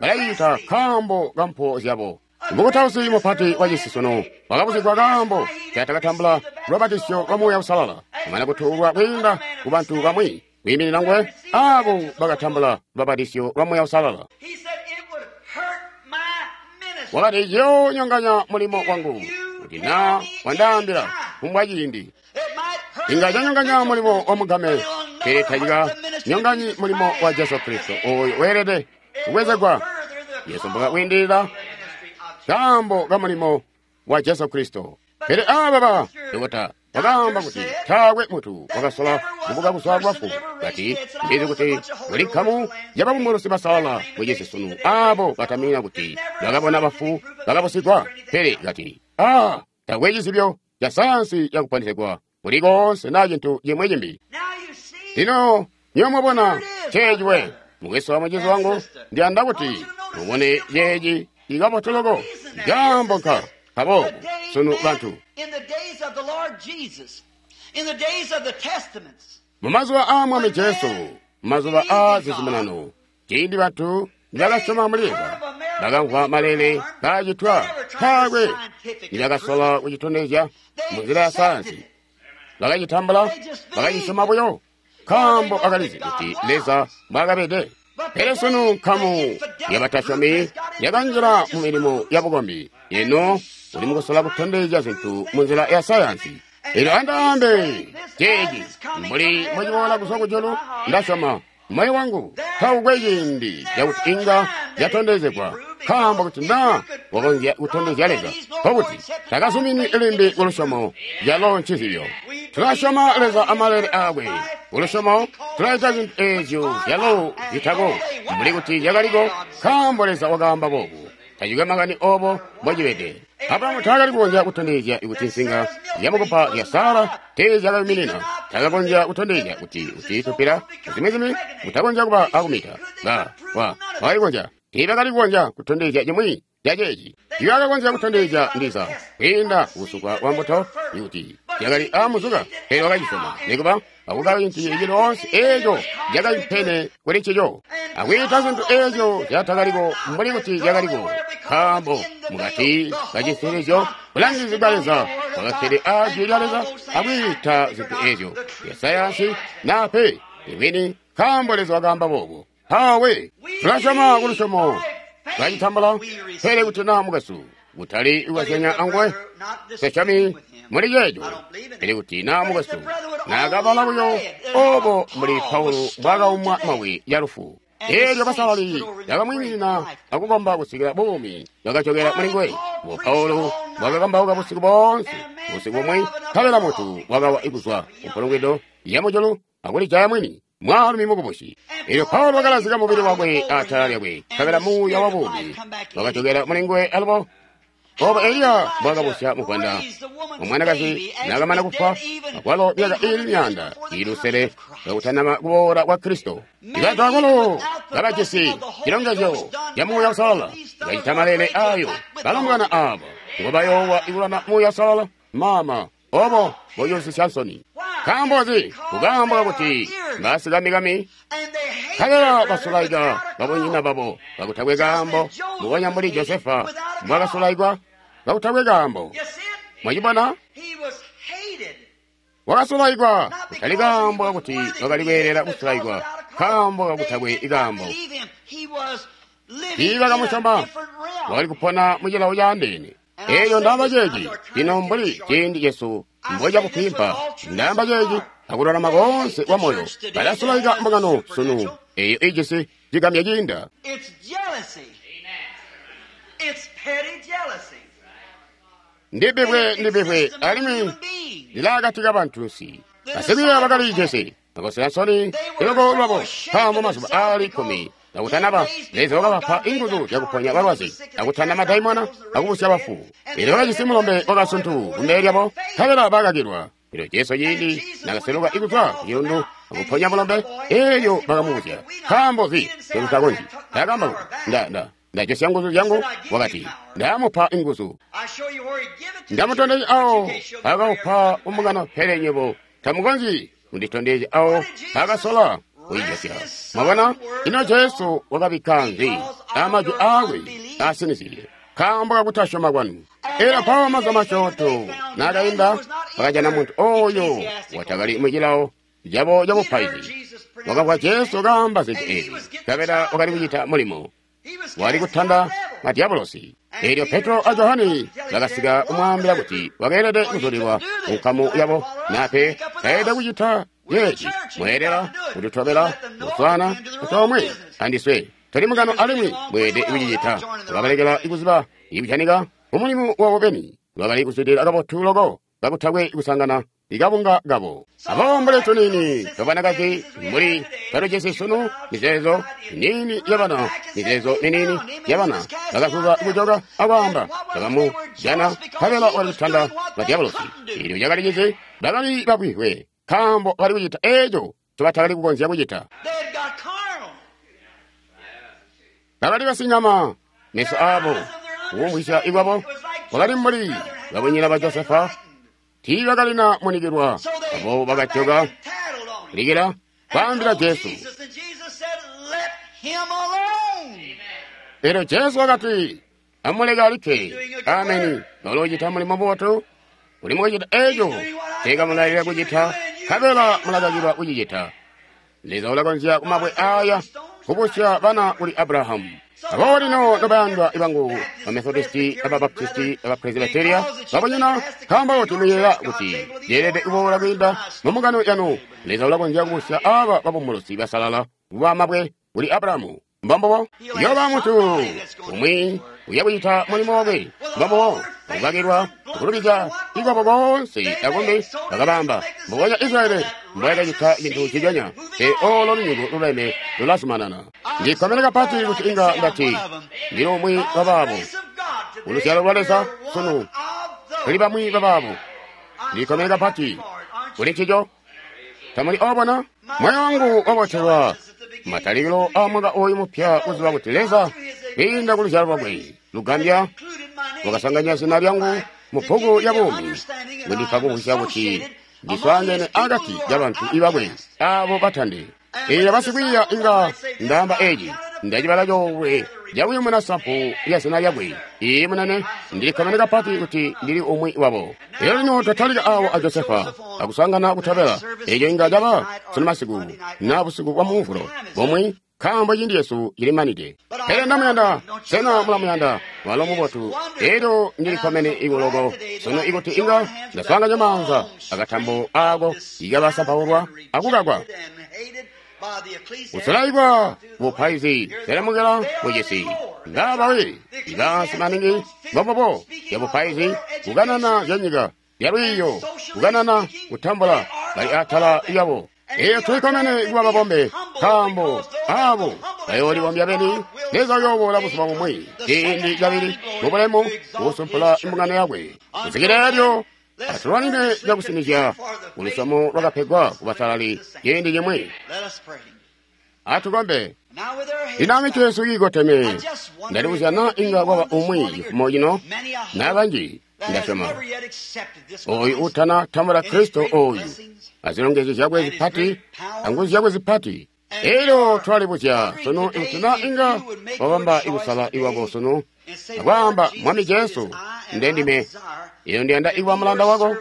balayita nkaambo kampo zyabo. Mukutausi mupati wa cisi sunu wakabuzigwa kaambo catakatambula lubatisyo lwa Muuya Uusalala amana kutuulwa kwiinda ku bantu bamwi kwiiminina nguwe aabo bakatambula lubatisyo lwa Muuya Uusalala. Wakati ciyoonyonganya mulimo wangu kuti naa wandaambila kumbwa ciindi. Inga canyonganya mulimo wa mugame, pele tacikanyonganyi mulimo wa Jesu Kristo oyo weelede kubwezegwa. Yesu mbwakwiindilila kaambo ka mulimo wa Jesu Kristo. Pele aaba ba dokota wakaamba kuti taakwe muntu wakasola kubuka kuzwa bafu. Kati ndizi kuti kuli nkamu yababumbulusi basalala mucisi sunu aabo batamina kuti bakabona bafu bakabusigwa. Pele kati aa taakwe cizibyo ca sayansi yakuponesegwa kuli koonse naa cintu cimwi cimbi. Lino nywebo mwabona ceeci we mukwesu wa mucizi wangu, ndiyanda kuti mubone ceeci ikabotu loko kaambo nka kaboobo sunu bantu mumazuba aa Mwami Jesu, mumazuba aa zizuminano, ciindi bantu nibakasyoma muli Leza, bakamvwa malele kaacitwa, taakwe nibakasola kucitondezya munzila ya sayansi. Bakacitambula, bakacisyoma buyo, nkaambo bakalizi kuti Leza mbwaakabede. Pele sunu nkamu yabatasyomi yakanjila mu milimo yabukombi. Ino uli mukusola kutondezya zintu munzila ya sayansi. Elyo andaambe ceeci mbuli mbociboola kuzwa kujulu, ndasyoma moyo wangu taukwe ciindi cakuti inga yatondezegwa, nkaambo kuti naa wakonzya kutondezya Leza, nkokuti takazumini limbi kulusyomo calo ncizibyo. Tulasyoma Leza amalele aakwe. Kulusyomo tulaita zintu eezyo zyalo zitako mbuli kuti zyakaliko, nkaambo Leza wakaamba boobu. Tacikwe makani obo mbocibede. Abrahamu taakali kukonzya kutondezya kuti nsinga zyamukupa zya Sara teezyakayuminina. Taakakonzya kutondezya kuti kuti tupila zimwi-zimwi kutakonzya kuba akumita. Ba, wa, wakali kukonzya. Tiibakali kukonzya kutondezya cimwi ca ceeci. Tiibakakonzya kutondezya ndiza kwiinda kusukwa kwa mbuto kuti yakali aamuzuka, pele wakacisyoma nikuba akukaka cintu cili coonse eeco cakaimpene kuli ncico, akwiita zintu eezyo zyatakaliko mbuli kuti zyakaliko, nkaambo mukati kacisilizyo bulangizi bwa Leza bwakakkede aa jwi lya Leza akwiita zintu eezyo zya sayansi naa pe ibwini, nkaambo Leza wakaamba boobo. Mpawe tulasyoma kulusyomo twacitambula, pele kuti naa mukwesu kutali kukazyanya anguwe, nsesyomi muli ceeco. Pele kuti naa mukwesu naakabala buyo obo mbuli Paulo mbwaakaumwa mabwe yalufu, eelyo basalali bakamwiimina akukomba kusikila buumi bwakajokela mulinguwe. Bo Paulo bwakakambauka busiku boonse, busiku bumwi, nkabela muntu wakawa kuzwa kumpulungwido yamujulu akulijaya mwini, mwaalumi mukubusi. Eelyo Paulo wakalazika mubili wakwe atala lyakwe, nkabela muuya wa buumi wakajokela mulinguwe alubo. Obo Eliya mbwakabusya muvwanda omwanakazi naakamana kufwa, akwalo myaka iili myaanda iili lusele kakutanaba kuboola kwa Kristo. Ibantu akwalo kabajisi cilongezyo ca Muuya Uusalala, bacita maleele ayo balombwana aaba ngobayoowa ikulwana Muuya Uusalala. Mama, obo boyoosisya nsoni. Nkaambo nzi? Kukaambo kakuti basikamikami nkabela basulaika babunyina babo kakutakwe kaambo, mbubonya mbuli Josefa mbwakasulaikwa kakutakwe kaambo. Mwacibona? Wakasulaikwa kutali kaambo kakuti wakali kweelela kusulaikwa, kaambo kakutakwe kaambo. Tiibakamusyoma, wakali kupona mucilawo caandeene. Eelyo ndaamba ceeci lino mbuli ciindi cesu mbocakufwimpa, ndaamba ceeci akululama koonse kwa moyo. Balasulaika mbungano sunu eeyo ijisi cigamya ciinda. Ndibibwe, ndibibwe, alimwi lilaakati kabantunsi. Basikwiiya bakalijisi bakosela nsoni loko lwabo, nkaambo mazuba aali kkumi kakutanaba Leza wakabapa inguzu zyakuponya balwazi, akutanda madaimona, akubusya bafu. Eelyo bakajisi mulombe wakasuntu kumbele lyabo, nkabela bakakilwa. Eelyo Jesu ciindi nakaseluka kuzwa kucilundu akuponya mulombe, eelyo bakamubuzya, nkaambo nzi ncomutakonzyi? Taakaamba kuti, nda nda ndajosya nguzu zyangu. Wakati, ndamupa inguzu, ndamutondezya awo akaupa kumbungano, pele nywebo tamukonzyi kunditondezya awo akasola kuyijosya. Mwabona, ino Jesu wakabikka nzi amajwi aakwe asinizye? Nkaambo kakutasyoma kwanu. Eelyo mpawo mazuba masyoonto naakainda, bakajana muntu ooyo watakali mucilawo cabo cabupaizi. Wakamvwa Jesu kaamba zintu eezi, nkabela wakali kucita mulimo wali kutanda madyabulosi. Eelyo Petro a Johane bakasika kumwaambila kuti wakeelede kuzulilwa kunkamu yabo, nape taelede kucita ceeci. Mweelela kututobela kuswaana antoomwe andiswe, tuli mungano alimwi mweelede kucicita. Wakabalekela kuziba ikujanika mumulimu wabo beni, bakali kuzwidilila kabotu loko kakutakwe kusangana ikabunga kabo. Abo mbuli tuniini twabanakazi mbuli twatujisi sunu, mizeezo miniini yabana, mizeezo miniini yabana bakazuza kujoka akwaamba, bakamujana nkabela wakali kutanda madyabulosi. Eelyo cakali cizi, bakali babwihwe, nkaambo bakali kucita eeco ncobatakali kukonzya kucita. Bakali basinyama, meso aabo kukumvwisya ikwabo kwakali mbuli babunyina ba Josefa. Tiibakalina munikilwa, abo bakajoka likila kwaambila Jesu. Eelyo Jesu wakati, amuleke alikke. Ameni. Uloocita mulimo mubotu, uli mukucita eeco nceekamulailila kucita, nkabela mulakakilwa kucicita. Leza ulakonzya kumabwe aaya kubusya bana kuli Abrahamu. Aboobo lino nobayandwa ibangu, Bamethodisti, Ababaptisti, Abapresbyteria, babunyina, nkaambo kuti muyeeya kuti yeelede kuboola kwiinda mumbungano yanu, Leza ulakonzya kubusya aaba babumbulusi basalala kuba mabwe kuli Abrahamu. Mbombubo, uyooba muntu umwi uya kucita mulimo wakwe. Mbombubo, ukakilwa Kulubizya ikwabo koonse akumbi bakabamba mbubonya Israyeli mbwayakacita cintu nciconya. Pele olo lunyungu luleme lulazumanana. Ndikkomene kapati kuti inga ndati ndili umwi wabaabo. Uluzyalo lwa Leza sunu tuli bamwi babaabo. Ndikkomene kapati kuli ncico. Tamuli obona? Moyo wangu wabotelwa matalikilo a mwaka oyu mupya kuziba kuti Leza kwiinda ku luzyalo lwakwe lugambya wakasanganya zina lyangu mu bbuku ya buumi, kundipa kumvwisya kuti ndiswaangene akati kabantu ibakwe abo batande. Eelyo basikwiiya inga ndaamba eci, ndacibala coolwe cakuyumuna sampu lya zina lyakwe. Iiyi munene, ndilikkomene kapati kuti ndili umwi wabo. Elyo lino twatalika awo a Josefa akusangana kutobela. Eco inga caba sunu masiku na busiku bwa Mumvulo bumwi, nkaambo ciindi cesu cilimanide. Pele ndamuyanda, sena mulamuyanda? Walo mubotu. Elyo ndilikkomene ikuloko sunu ikuti inga ndaswaanganya maanza akatambo ako ikabasampaulwa akukakwa. Kusulaikwa bupaizi selemukela mucisi ngabawi ibansi maningi mbobobo ya bupaizi kukanana zyanyika yalwiiyo kukanana kutambula bali atala yabo. Eyo tulikomene kuba babombe, nkaambo abo bayoolibombya beni. Leza uyooboola buzuba bumwi ciindi cabili mubulemu kusumpula imbungano yakwe. Kusikila elyo atulwanine cakusinizya kulusyomo lwakapegwa kubasalali ciindi cimwi. Atukombe. Lino mitwe yesu iikoteme, ndalibuzya naa inga kwaba umwi cifumo cino naa banji. Ndasyoma oyu utana tambula Kristo oyu azilongezyo zyakwe zipati anguzu zyakwe zipati. Elyo twalibuzya sunu ikuti naa inga wabamba ikusala iwako sunu akwaamba, Mwami Jesu, ndendime iyo ndiyanda ikuba mulanda wako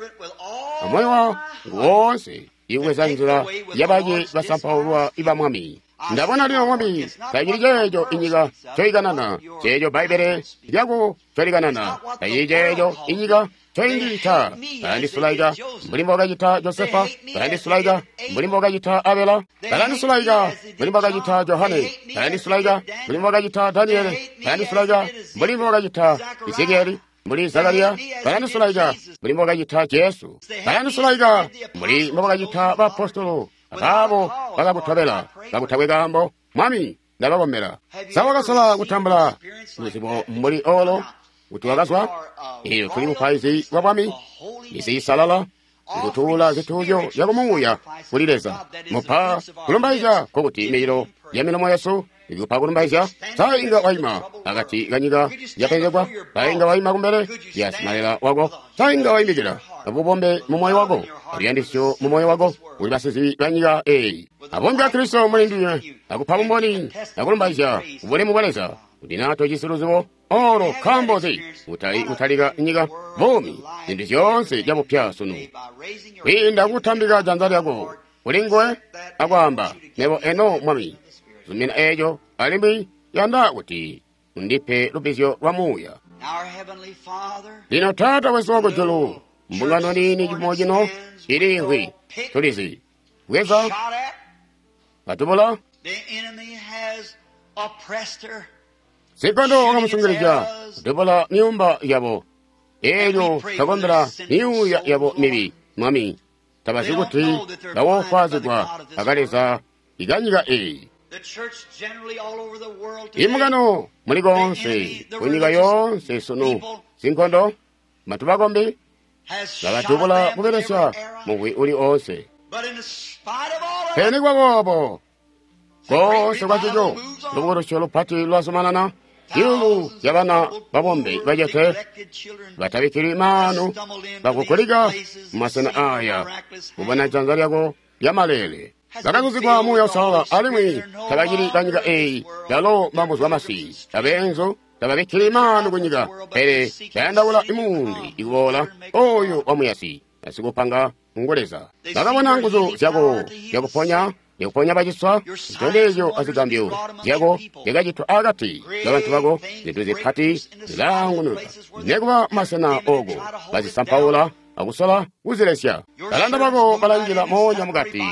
amoyo wangu woonse, ikubweza nzila yabaci basampaulwa iba Mwami. Ndabona lino Mwami tacili ceeco inyika coikanana, ceeco Bbaibbele lyako colikanana, tacili ceeco inyika coindiita. Balandisulaika mbuli mbokacita Josefa, balandisulaika mbuli mbokacita Abela, balandisulaika mbuli mbokacita Johane, balandisulaika mbuli mbokacita Daniele, balandisulaika mbuli mbokacita Ezekieli, mbuli Zakariya, balandisulaika mbuli mbokacita Jesu, balandisulaika mbuli mbokacita baapostolo abaabo bakakutobela kakutakwe kaambo. Mwami, ndabakombela. Sa wakasala kutambula luzibo mbuli olo kuti wakazwa? Iyo tuli bupaizi bwa Bwami, misi isalala, ikutuula zituuzyo zyakumuuya kuli Leza. Mupa kulumbaizya kokuti mililo ya milomo yesu ikupa kulumbaizya. Sa inga waima akati kanyika yapenzegwa? Sa inga waima kumbele ya simalela wako? Sa inga waimikila abubombe mu moyo wako, aluyandisyo mu moyo wako kuli basizibi ba nyika eyi? Abombe a Kristo muli ndinywe akupa bumboni akulumbaizya kubulemu bwa Leza kuti naa tojisi luzibo olo nkaambo nzi kutali kutalika nyika buumi zintu zyoonse zyabupya sunu kwiinda kutambika janza lyako kuli nguwe akwaamba, Mebo eno Mwami, zumina eeco alimwi yanda kuti undipe lubbizyo lwa muuya. Lino Taata wesu wakujulu, mbungano niini cifumo cino iliimvwi, tulizi bweza batubula sikondo wakamusungilizya kutubula myuumba yabo. Eelyo twakombela myuuya yabo mibi, Mwami, tabazi kuti bawofwaazigwa akaleza ikanyika eyi. Imbungano muli koonse kunyika yoonse sunu sinkondo bantu bakombi babatubula kubelesya mugwi uli oonse. Pele nikuba boobo koonse kwancico lubukulusyo lupati lwazumanana. Zyuulu zyabana babombe bacete batabikkilwi maanu bakukulika mumasena aaya kubona janza lyako lyamaleele. Bakazuzigwa Muuya Uusalala alimwi tabacili banyika eyi, yalo mbambuzwa masi abeenzu tababikkili maanu kunyika, pele bayandaula imuundi ikuboola oyu wamuyasi asikupanga ngu Leza. Bakabona nguzu zyako zyakuponya zyakuponya baciswa, zitondezyo azigambyo zyako zyakacitwa akati kabantu bako, zintu zipati zilaangunuka nekuba masena ooko bazisampaula akusola kuzilesya. Balanda bako balanjila moonya mukati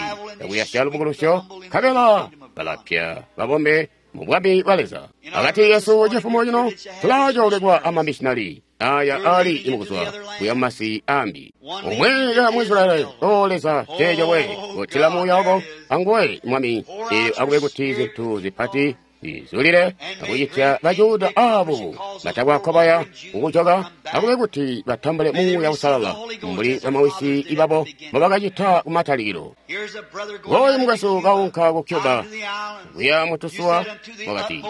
akuyasya lubukulusyo, nkabela balapya babombe mu bwami bwa Leza. Akati yesu cifumo cino tulaacoolekwa amamishinali Aya ali mukuzwa kuya masi ambi. Umwe ya Mwisraeli, o Leza, ceeco we, kutila muuya wako, anguwe, Mwami, elyo akube kuti zintu zipati zizulile, akucitya Bajuda abo batakwakobaya kukujoka, akube kuti batambule muuya usalala, mbuli bamawisi babo mbobakacita kumatalikilo. Ngoyu mukwesu kaunka ku Cuba, kuya mutusuwa, wakati,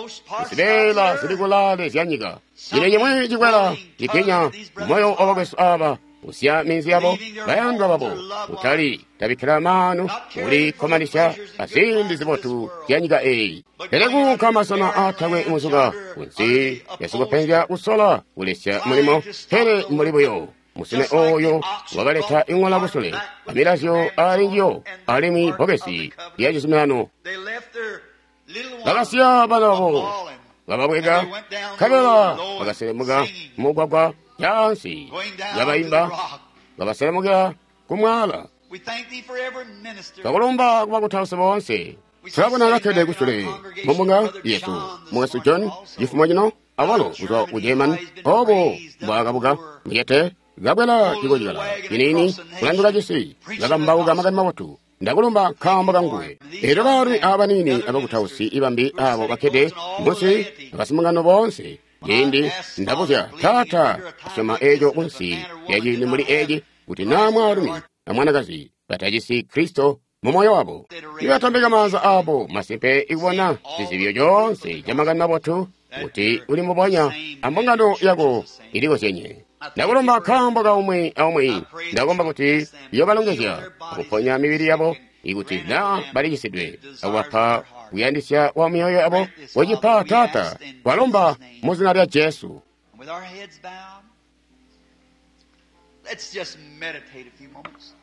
zibeela zili kulaale zya nyika. Cino cimwi cikwela cipinya moyo wa bakwesu aba, usiya minzi yabo, bayandwa babo, utali tabikkila maanu kulikkomanisya azimbi zibotu zya nyika eyi. Pele kuunka masena aatakwe muzuka, kunsi yasikupenzya kusola kulesya mulimo, pele mbuli buyo musune oyo wakaleta iŋola kusule, amilazyo ali njiyo, alimwi bbokesi lya cizuminano. Bakasiya bana babo, bababweka, nkabela bakaselemuka mugwagwa jansi, babaimba, babaselemukila kumwala. Twakulumba kubakutausi boonse. Tulabona kakkede kusule mumbunga yesu, mukwesu John, cifumo cino, awalo kuzwa ku German, obo mbwaakabuka muyete, kabwela cikocikala ciniini kulanduka cisi, kakambauka makani mabotu. Ndakulumba nkaambo kanguwe. Elyo baalumi abaniini abakutausi ibambi abo bakkede munsi abasimungano boonse. Ciindi ndabuzya taata asyoma eco kunsi lya ciindi mbuli eci kuti naa mwaalumi amwanakazi batajisi Kristo mu moyo wabo, ibatambika maanza abo masimpe ikubona zizibyo coonse ca makani mabotu kuti uli mubonya ambungano yako ilikozyenye. Ndakulumba nkaambo ka umwi aumwi. Ndakomba kuti yobalongezya akuponya mibili yabo ikuti naa balicisidwe, akubapa kuyandisya kwa myoyo yabo. Wecipa Taata, twalomba mu zina lya Jesu. With our heads bowed, let's just meditate a few moments.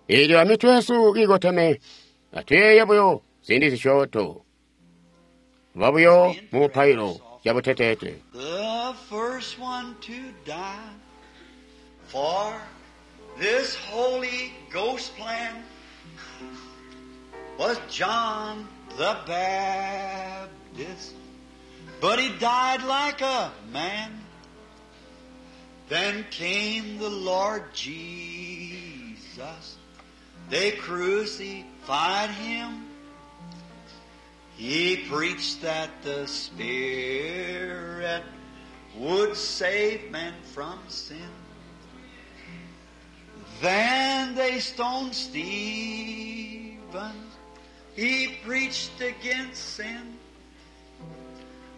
Elyo amitwe yesu kiikoteme, atuyeeye buyo ziindi zisyoonto. Babuyo mu mupailo cabuteteete. The first one to die for this Holy Ghost plan was John the Baptist, but he died like a man. Then came the Lord Jesus. They crucified him. He preached that the Spirit would save men from sin. Then they stoned Stephen. He preached against sin.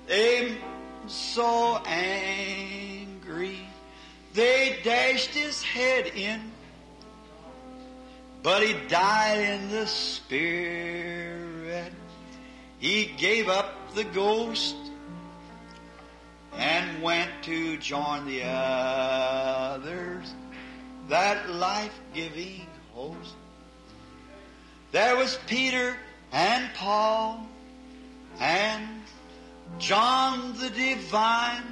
They so angry, they dashed his head in. But he died in the Spirit. He gave up the ghost and went to join the others, that life-giving host. There was Peter and Paul and John the Divine.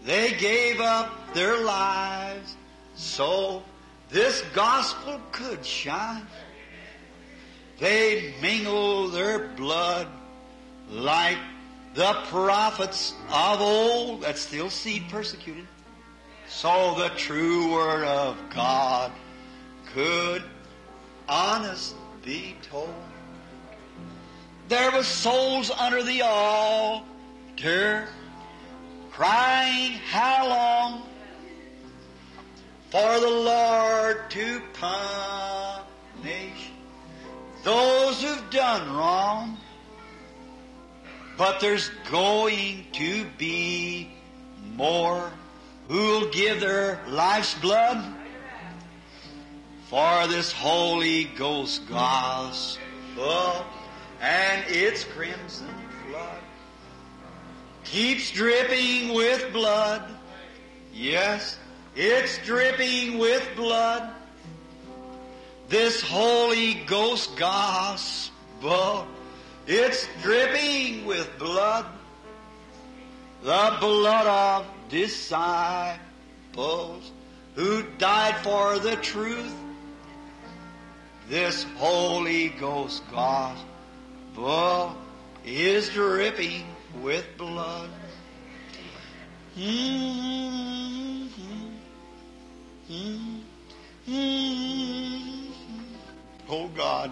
They gave up their lives so this gospel could shine. They mingle their blood like the prophets of old, that's still seed persecuted, so the true word of God could honest be told. There was souls under the altar crying, how long for the Lord to punish those who've done wrong. But there's going to be more who'll give their life's blood for this Holy Ghost gospel, and its crimson flood keeps dripping with blood. Yes, it's dripping with blood. This Holy Ghost gospel, it's dripping with blood. The blood of disciples who died for the truth. This Holy Ghost gospel is dripping with blood. Mm-hmm. Mm-hmm. Oh God.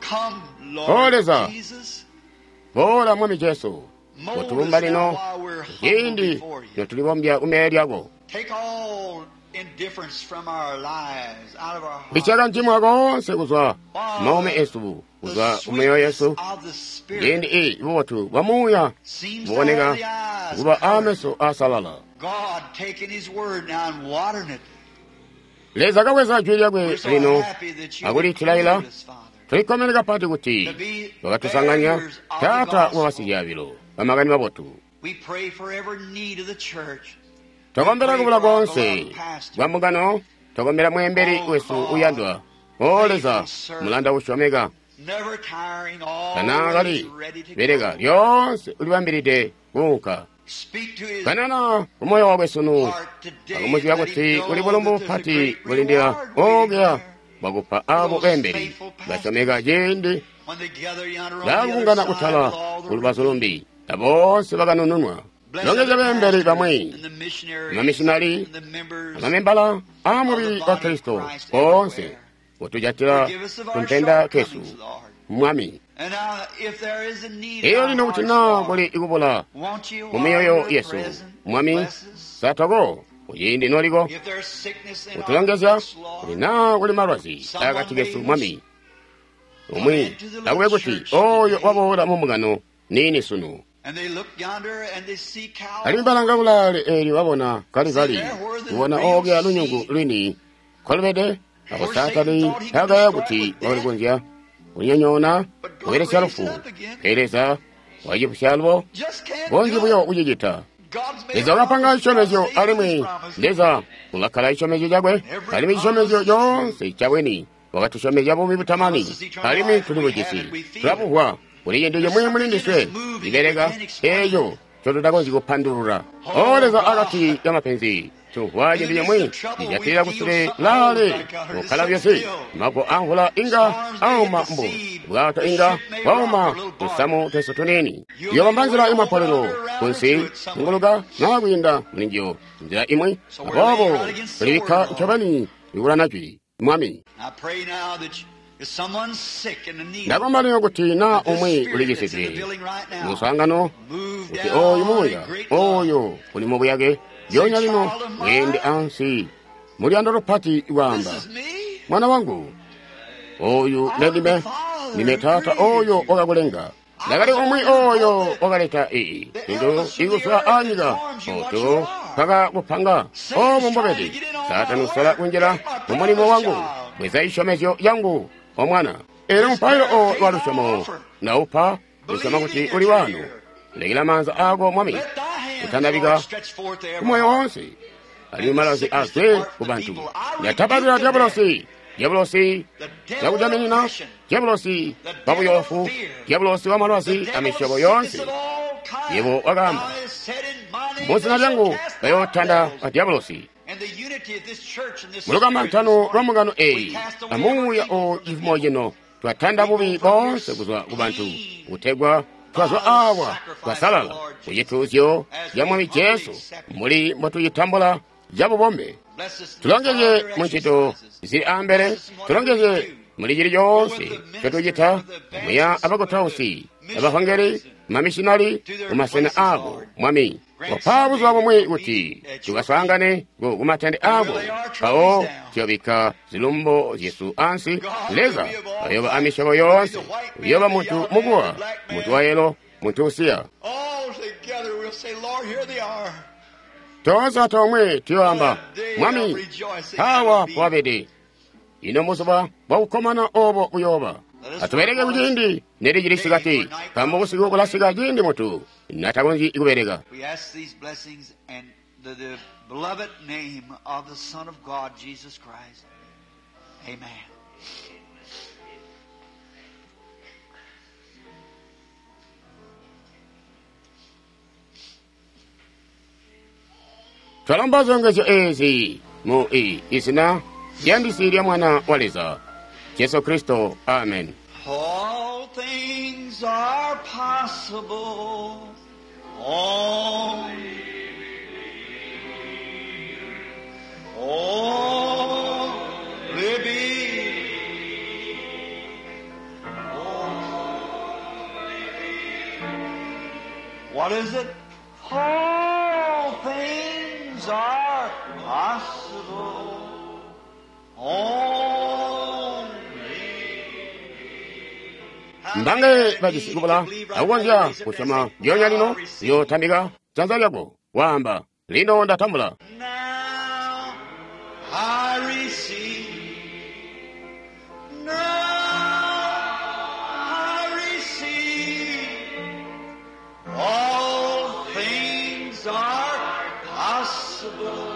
Come, Oh, Lord Leza. Jesus. Boola Mwami Jesu, Mold us kutulumba now lino while we're humble ciindi before you. notulibombya kumeya lyako. Take all indifference from our lives, out of our hearts. Ichaka mchimwa konse kuzwa maume esu, The kuzwa kumeyo sweetness yesu. of the Spirit Ciindi iyi bubotu bwa muuya seems to buboneka have the eyes kuba colored. ameso asalala. God taking His word now and watering it. Leza kabweza jwi lyakwe We're so lino happy that you akulitilaila. included us, Father, Tulikkomene kapati kuti to be bakatusanganya bearers of the taata gospel. wa basidyabilo bamakani mabotu. We pray for every need of the church. Tokombera kubula konse kwa mbungano, tokombera mwemberi wesu uyandwa. O Leza, mulanda usyomeka, Never tiring, kana kali always ready to bereka go. lyonse ulibambilide kuunka. Speak to his Kanana kumoyo wakwe sunu, heart today and akumuzibya let him kuti know kuli bulumbu that there's a bupati great bulindira reward waiting okuya there bwakupa abo bemberi basyomeka ciindi when they gather yonder on the other bakungana side kutala with all the kulubazu lumbi, aboonse bakanununwa. Bless Longeza the bemberi pastors bamwe, and the missionaries amamishinali, and the members amamembala amubili of the wa body of Kristo Christ bonse everywhere. kutujatira Forgive us of our kumpenda kesu shortcomings, Lord. mwami. And now, if there is a need in Eyo our lino kuti hearts, na Lord, kuli ikubula won't you, mu while myoyo you're yesu present, mwami bless us? satoko kuciindi noliko If there's sickness in our kutulongezya midst, Lord, kuti na kuli malwazi akati kesu mwami umwi akube kuti oyo waboola mu mbungano nini sunu. and they look yonder and they see Alimwi cows. balanga kulaale eelyo babona kalikali kubona okya lunyungu lwini kolubede ako Saatani takaya kuti wakalikonzya kunyonyoona kubelesya lufu. Pele Leza wacipusya lubo Just can't bonzi do buyo it. kucicita. God's made Leza a wakapanga promise, cisyomezyo God saved alimwi his promise. Leza ulakkala cisyomezyo cakwe alimwi cisyomezyo coonse cabweni wakatusyomezya buumi butamani alimwi tuli bujisi tulabuhwa kuli cintu cimwi muli ndiswe cibeleka eeco ncotutakonzyi kupandulula. O Leza akati kamapenzi tumvwa cintu cimwi cijatilila kusule laale kukkala byonse mago amvula inga auma mbu bwato inga bwauma tusamu twesu tunini yobamba nzila imapolelo kunsi nguluka naa kwiinda mulinjiyo nzila imwi aboobo tulibikka ncobeni ikulana jwi mwami. I pray now that you- if someone's sick and in need, Ndakomba lino kuti na that this umwi spirit that's in the ulikisidwe building right now, musangano move kuti oyu down muuya in great love. oyo uli mubuyake lyonya lino weende ansi muliyando lupati This kwaamba is me. mwana wangu oyu ndendime ndime taata oyo wakakulenga ndakali umwi oyo wakaleta iyi cintu ikuzwa anyika oto paka kupanga omo mbobedi Saatani usola kunjila mu mulimo wangu bweza isyomezyo yangu omwana. Elo mupailo o lwa lusyomo naupa usyoma kuti uli wano lekela maanza ako mwami Let thy hands, kutandabika Lord, stretch forth to every kumoyo heart. wonse alimwi malwazi azwe ku bantu. Ndatabatila diabulosi diabulosi The devil of zakutaminina oppression, diabulosi the devil of wabuyofu fear, diabulosi wa the malwazi devil of amisyobo sickness yonse. of all kinds. Yebo wakaamba Thou hast said in my name muzina they shall lyangu cast out bayootanda devils. a diabulosi. And the unity of this church and this Mu spirit this lukamantano lwa morning, mbungano we eyi cast away every amuuya evil o from the cifumo people. cino twatanda We go bubi from here bonse kuzwa ku bantu clean kutegwa by twazwa the awa sacrifice of the twasalala Lord ku Jesus cituuzyo as ca we Mwami humbly Jesu accept it. mbuli mbotuyitambula cabubombe. Bless us in the Tulongezye farther mu ncito exercises. zili ambele, Bless us in whatever we tulongezye do. muli cili Go with coonse the ministers, cyotucita with the muya evangelists, with the abakutausi abahongeri missionaries, and mamishinali to their kumasena places, abo Lord. mwami. Grant Wapa someday buzuba that bumwi we'll kuti be at your feet tukaswaangane ku kumatende and abo we'll lay our trophies pawo down. tuyobikka zilumbo zyesu ansi. God will Leza be of all ayoba kinds. amisyobo There'll be yoonse the white man, uyoba the muntu yellow man, the mukuwa black muntu man. wayelo muntu usiya. All together we'll say, Lord, here they are. Tonse atomwe tuyoamba What a day of mwami rejoicing awa that'll be. powabede ino muzuba bwakukkomana obo buyoba. Let us work Atubereke while it's kuciindi nelicili day, sikati for night nkaambo cometh busiku when man bulasika ciindi mutu natakonzyi kubereka. We ask these blessings and the, the beloved name of the Son of God, Jesus Christ. Amen. Twalomba zilongezyo ezi mu i izina lyandisi lya Mwana wa Leza Jesu Kristo. Amen. All things things are possible. Only, only believe. What is it? All things are possible. Only. Mbange bajisi kubula akukonzya kusyoma lyonya lino liyotambika janza lyako waamba lino ndatambula. Now I receive. Now I receive. All things are possible.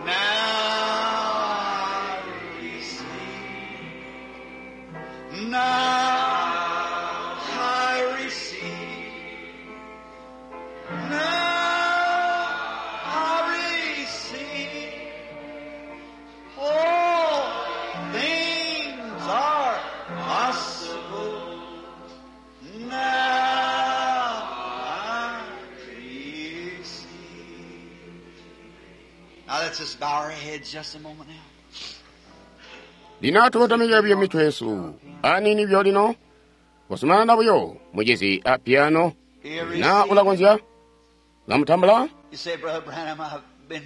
Now I receive. Now I receive. Now I receive. All things are possible. Now I receive. Now let's just bow our heads just a moment now. Lino tukotamike buyo mitwe yesu anini byo lino kusumanana buyo mucizi a piano na ulakonzya lamutambula. You say, Brother Branham, I've been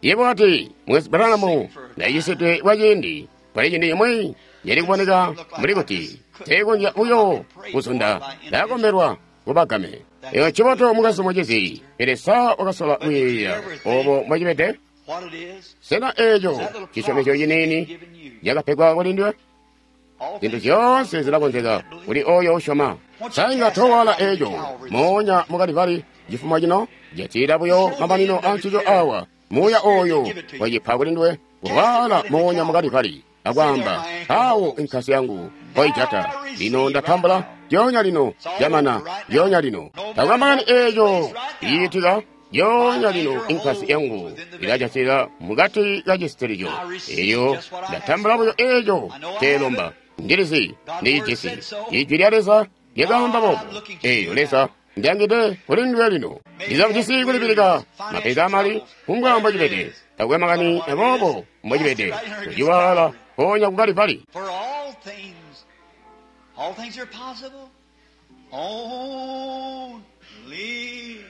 Yebo ati mwezi Branham ndayisidwe kwa ciindi pali ciindi chimwe yali kuboneka mbuli kuti teekonzya buyo kuzunda ndakombelwa kubagame. Eyo ciboto mukazi mucizi pele sa wakasola kuyeeya obo mbwacibede. what it is. Sena eeco cisyomezyo ciniini cakapegwa kuli ndiwe? All Zinthu things zonse zilakonzeka kuli oyo usyoma. Sainga towala eeco moonya mukalivali chifumo chino jatira buyo mamanino a ncico awa muuya oyo wacipa kuli ndiwe kuwala moonya mukalivali akwamba awo inkhasi yangu koijata lino ndatambula lyonya lino jamana lyonya lino takwambakani eeco iyitika lyonya lino inkhasi yangu ilajatira mukati ka chisitiricho eyo ndatambula buyo eeco telomba ndilizi ndicijisi ijwi lya Leza lyakaamba boobo eyo Leza ndiyangide kuli ndiwe lino ndizakujisi kulipilika mapeza amali kumbwa mbwacibede takwe makani aboobo mbwacibede kuciwala ponya kukalivali. For all things, all things are possible. Only believe.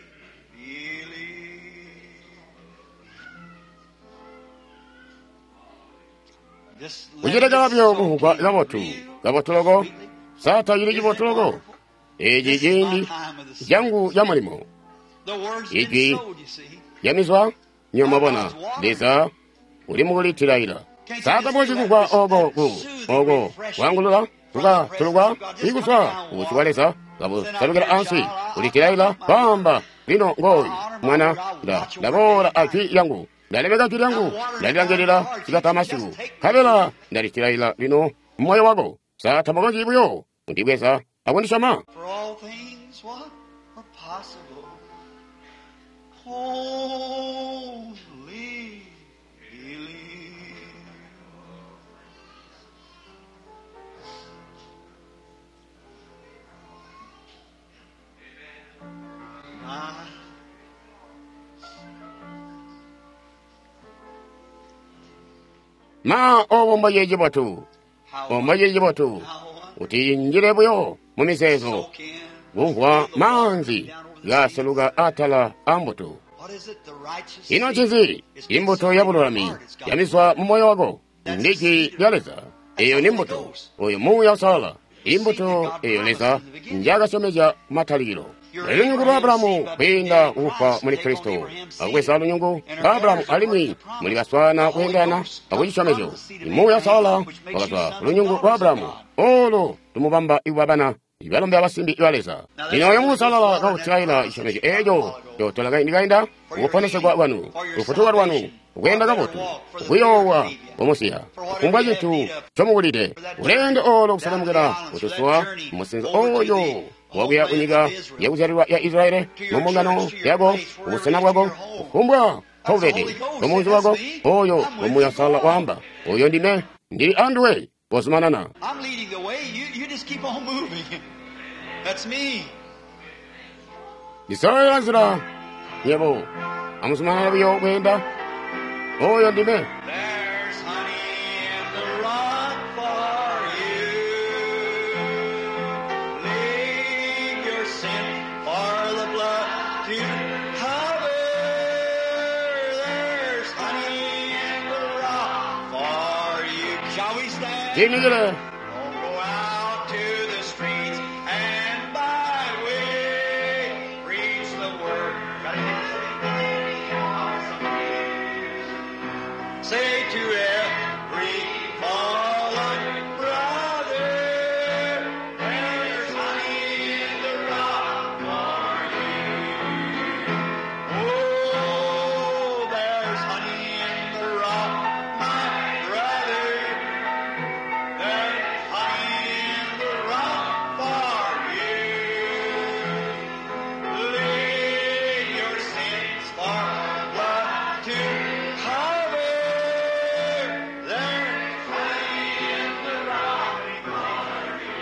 Just let kuchita it kabyo soak kuhugwa in kabotu real kabotu loko sweetly. sata chili chibotu loko echi ciindi changu cha mulimo The word's been Ijwi sowed, you see. yamizwa nyomabona Leza uli mukulitilaila satapochi kugwa oko ku oko kwangulula kukatulukwa ikuswa ubusyu bwa Leza kabusalukila ansi kulitilaila kwamba lino ngoyu mwana nda ndaboola ajwi lyangu ndalemeka jwi lyangu ndalilangilila sikata masiku kabela ndalitilaila lino mmoyo wako satapokonji buyo kundibweza akundisyoma. For all things what are possible. Only believe. Ah. Ma obo mboye cibotu How omboye cibotu how what? kuti injile buyo mu mizeezo Soak in. kumvwa maanzi gaseluka atala a mbuto. What is it? The righteous Ino seed ncinzi is been imbuto sown ya in your bululami heart. It's got yamizwa mu moyo wako ndi jwi lya Leza. Eyo ni mbuto oyo muuya usalala imbuto eyo Leza njakasyomezya kumatalikilo. Lunyungu lwa Abulahamu kwiinda kufwa muli Kristo akubweza lunyungu lwa Abulahamu alimwi muli baswana kweendana akucisyomezyo. Muuya usalala wakazwa ku lunyungu lwa Abulahamu olo tumubamba ikuba bana balombe abasimbi ba Leza. Lino oyo muusalala kakutilaila cisyomezyo eeco cotola kaindi kainda kukuponesegwa kwanu kufutuka lwanu kuyenda kabotu kuyoowa kumusiya kufumbwa cintu comukulide ulendo olo kusalamukila kutusuwa musinzo oyo wakuya kunyika yakuzyalilwa ya Israeli mu mbungano yako kubusena bwako kufumbwa mpaubede mumunzi wako oyo ngomuya usalala waamba oyo ndime ndili anduwe kozumanana. I'm leading the way. You, you just keep on moving. That's me. Ndisololela nzila nyebo amuzumanana buyo kweenda oyo ndime. There's honey in the rock for you. Leave your sin for the blood to cover. There's honey in the rock for you. Shall we stand? Tiimikile. Don't go out to the streets and byway. Preach the word. Got anything to say? Say to every fallen brother, there's honey in the rock for you. Oh, there's honey in the rock, my brother. There's honey in the rock for you. Lay your sins for blood to cover. There's honey in the rock for you.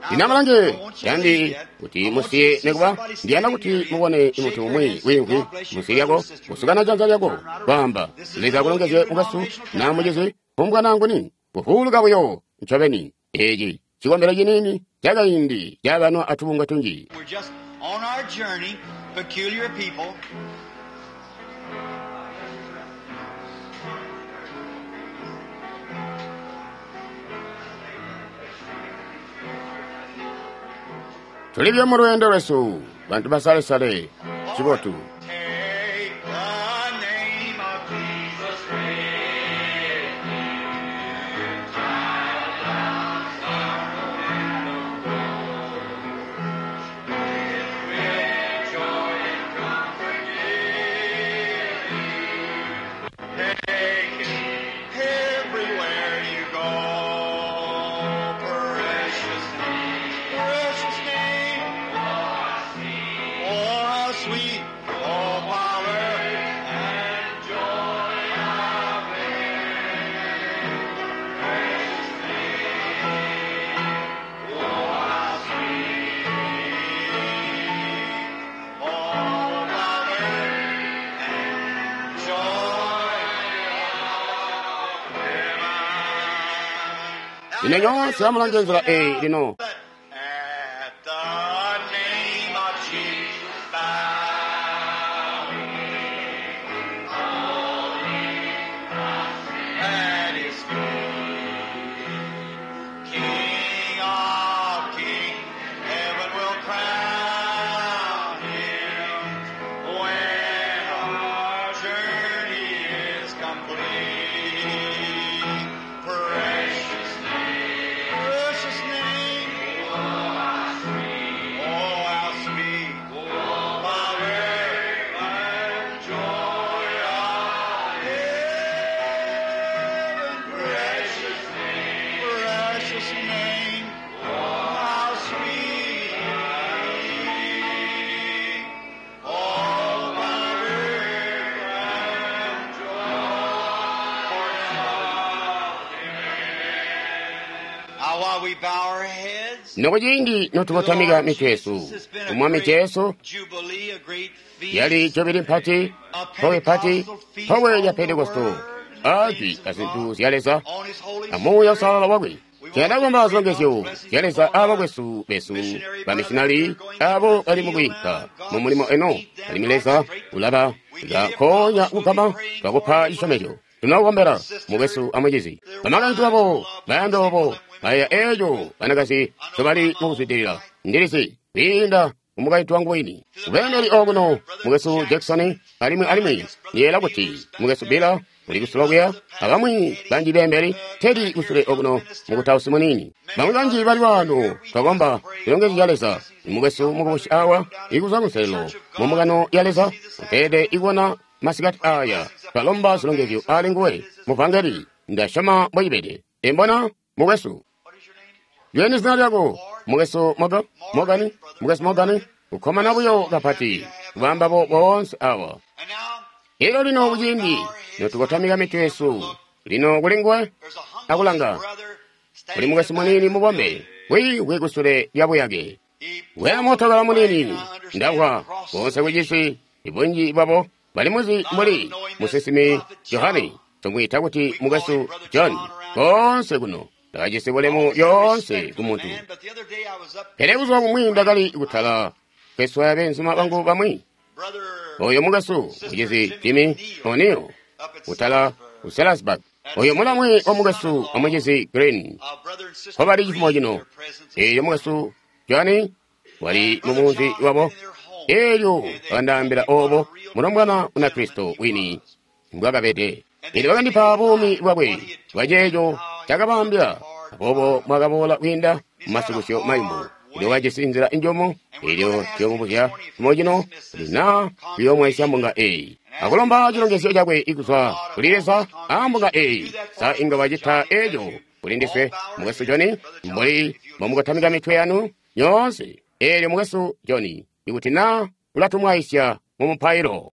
Ndinamalange yandi kuti musiye nekuba ndiyanda kuti mubone munthu umwe winkwi musi lyako kusukana janza lyako kwamba Leza akulongezye mukasu na mucizi pumbwananguni kuhuluka buyo ncobeni eci cikombelo cinini cakaindi cabanwa atubunga tunji. We're just on our journey, peculiar people. Tulibyo mu lwendo lwesu bantu basalesale cibotu. Take the name of Jesus with you. With joy and comfort give you. Take it everywhere you go. Precious name, precious name. Oh, how sweet, oh, power and joy of it. Precious name, oh, how sweet, oh, power and joy of heaven. Ine nyonse amulange nzila eyi lino. At the name of Jesus, bow. At his feet, King of kings, heaven will crown him when our journey is complete. Precious name, precious name, oh how sweet, oh power and joy of heaven. Precious name, precious name, oh how sweet, oh power and joy of heaven. Now while we bow our heads, Nokuciindi notukotamika mitwe yesu umwami Jesu yali jobili mpati powe pati powe lya Pentekosto ajwi azinthu zya Leza amuuya usalala wakwe. Tiyanda zilongezyo zya Leza abakwesu besu bamisionari abo bali mukuyika mu mulimo eno alimwi Leza ulaba kakonya kugama twakupa cisyomezyo tunakukombera mukwesu amucizi bamakaintu babo bayando babo baya eeco banakazi nsobali mukuzwidilila ndilizi kwiinda mumukaintu wangu wini kubeendeli okuno mukwesu Jackson alimwi alimwi ndiyela kuti mukwesu Bila uli kusula kuya abamwi banji beembeli tedi kusule okuno mukutausi munini bamwi banji bali wano twakomba zilongezyo zya Leza mukwesu mukubushi awa ikuzwa kunselelo mumukano ya Leza mpede ikuona masikati aya twalomba zilongezyo ali nguwe muvangeli ndasyoma mbwecibede imbona mukwesu yeni zina lyako mukwesu Moga Mogani mukwesu Mogani kukhomana buyo kapati kubambabo boonse awa. And now Elo lino kuciindi notukotamika mitwe yesu lino kuli nguwe there's a humble akulanga brother kuli mukwesu munini mubombe Kwiimvwi kusule lya buyake. Weya mootokala muniini, ndamvwa koonse kucisi, ibunji bwabo bali muzi mbuli musinsimi Johane, tumwiita kuti mukwesu John, koonse kuno. Ndakajisi bulemu lyoonse ku muntu. Pele buzuba bumwi ndakali kutala kweswaya beenzuma bangu bamwi. Oyo mukwesu mucizi Jimmy O'Neill kutala ku Sellersburg. Oyo mulamwe wa mukwesu wa mucizi Green. Nkobali cifumo cino. Eelyo mukwesu Johnny wali mu munzi wabo. Eelyo bakandaambila obo mulombwana Munakristo wini mbwakabede. Eelyo bakandipa buumi bwakwe bwa ceeco cakabaambila. Aboobo mwakaboola kwiinda mu masukusyo mayumu. Elyo wajisi nzila njomo, elyo tuyomubuzya cifumo cino kuti naa tuyoomwaisya mbunga eyi. Akulomba cilongezyo cakwe kuzwa kuli Leza a mbunga eyi. Sa inga wacita eco kuli ndiswe, mukwesu Johnny, mbuli mbomukotamika mitwe yanu nyoonse. Eelyo mukwesu Johnny, ikuti naa ulatumwaisya mu mupailo.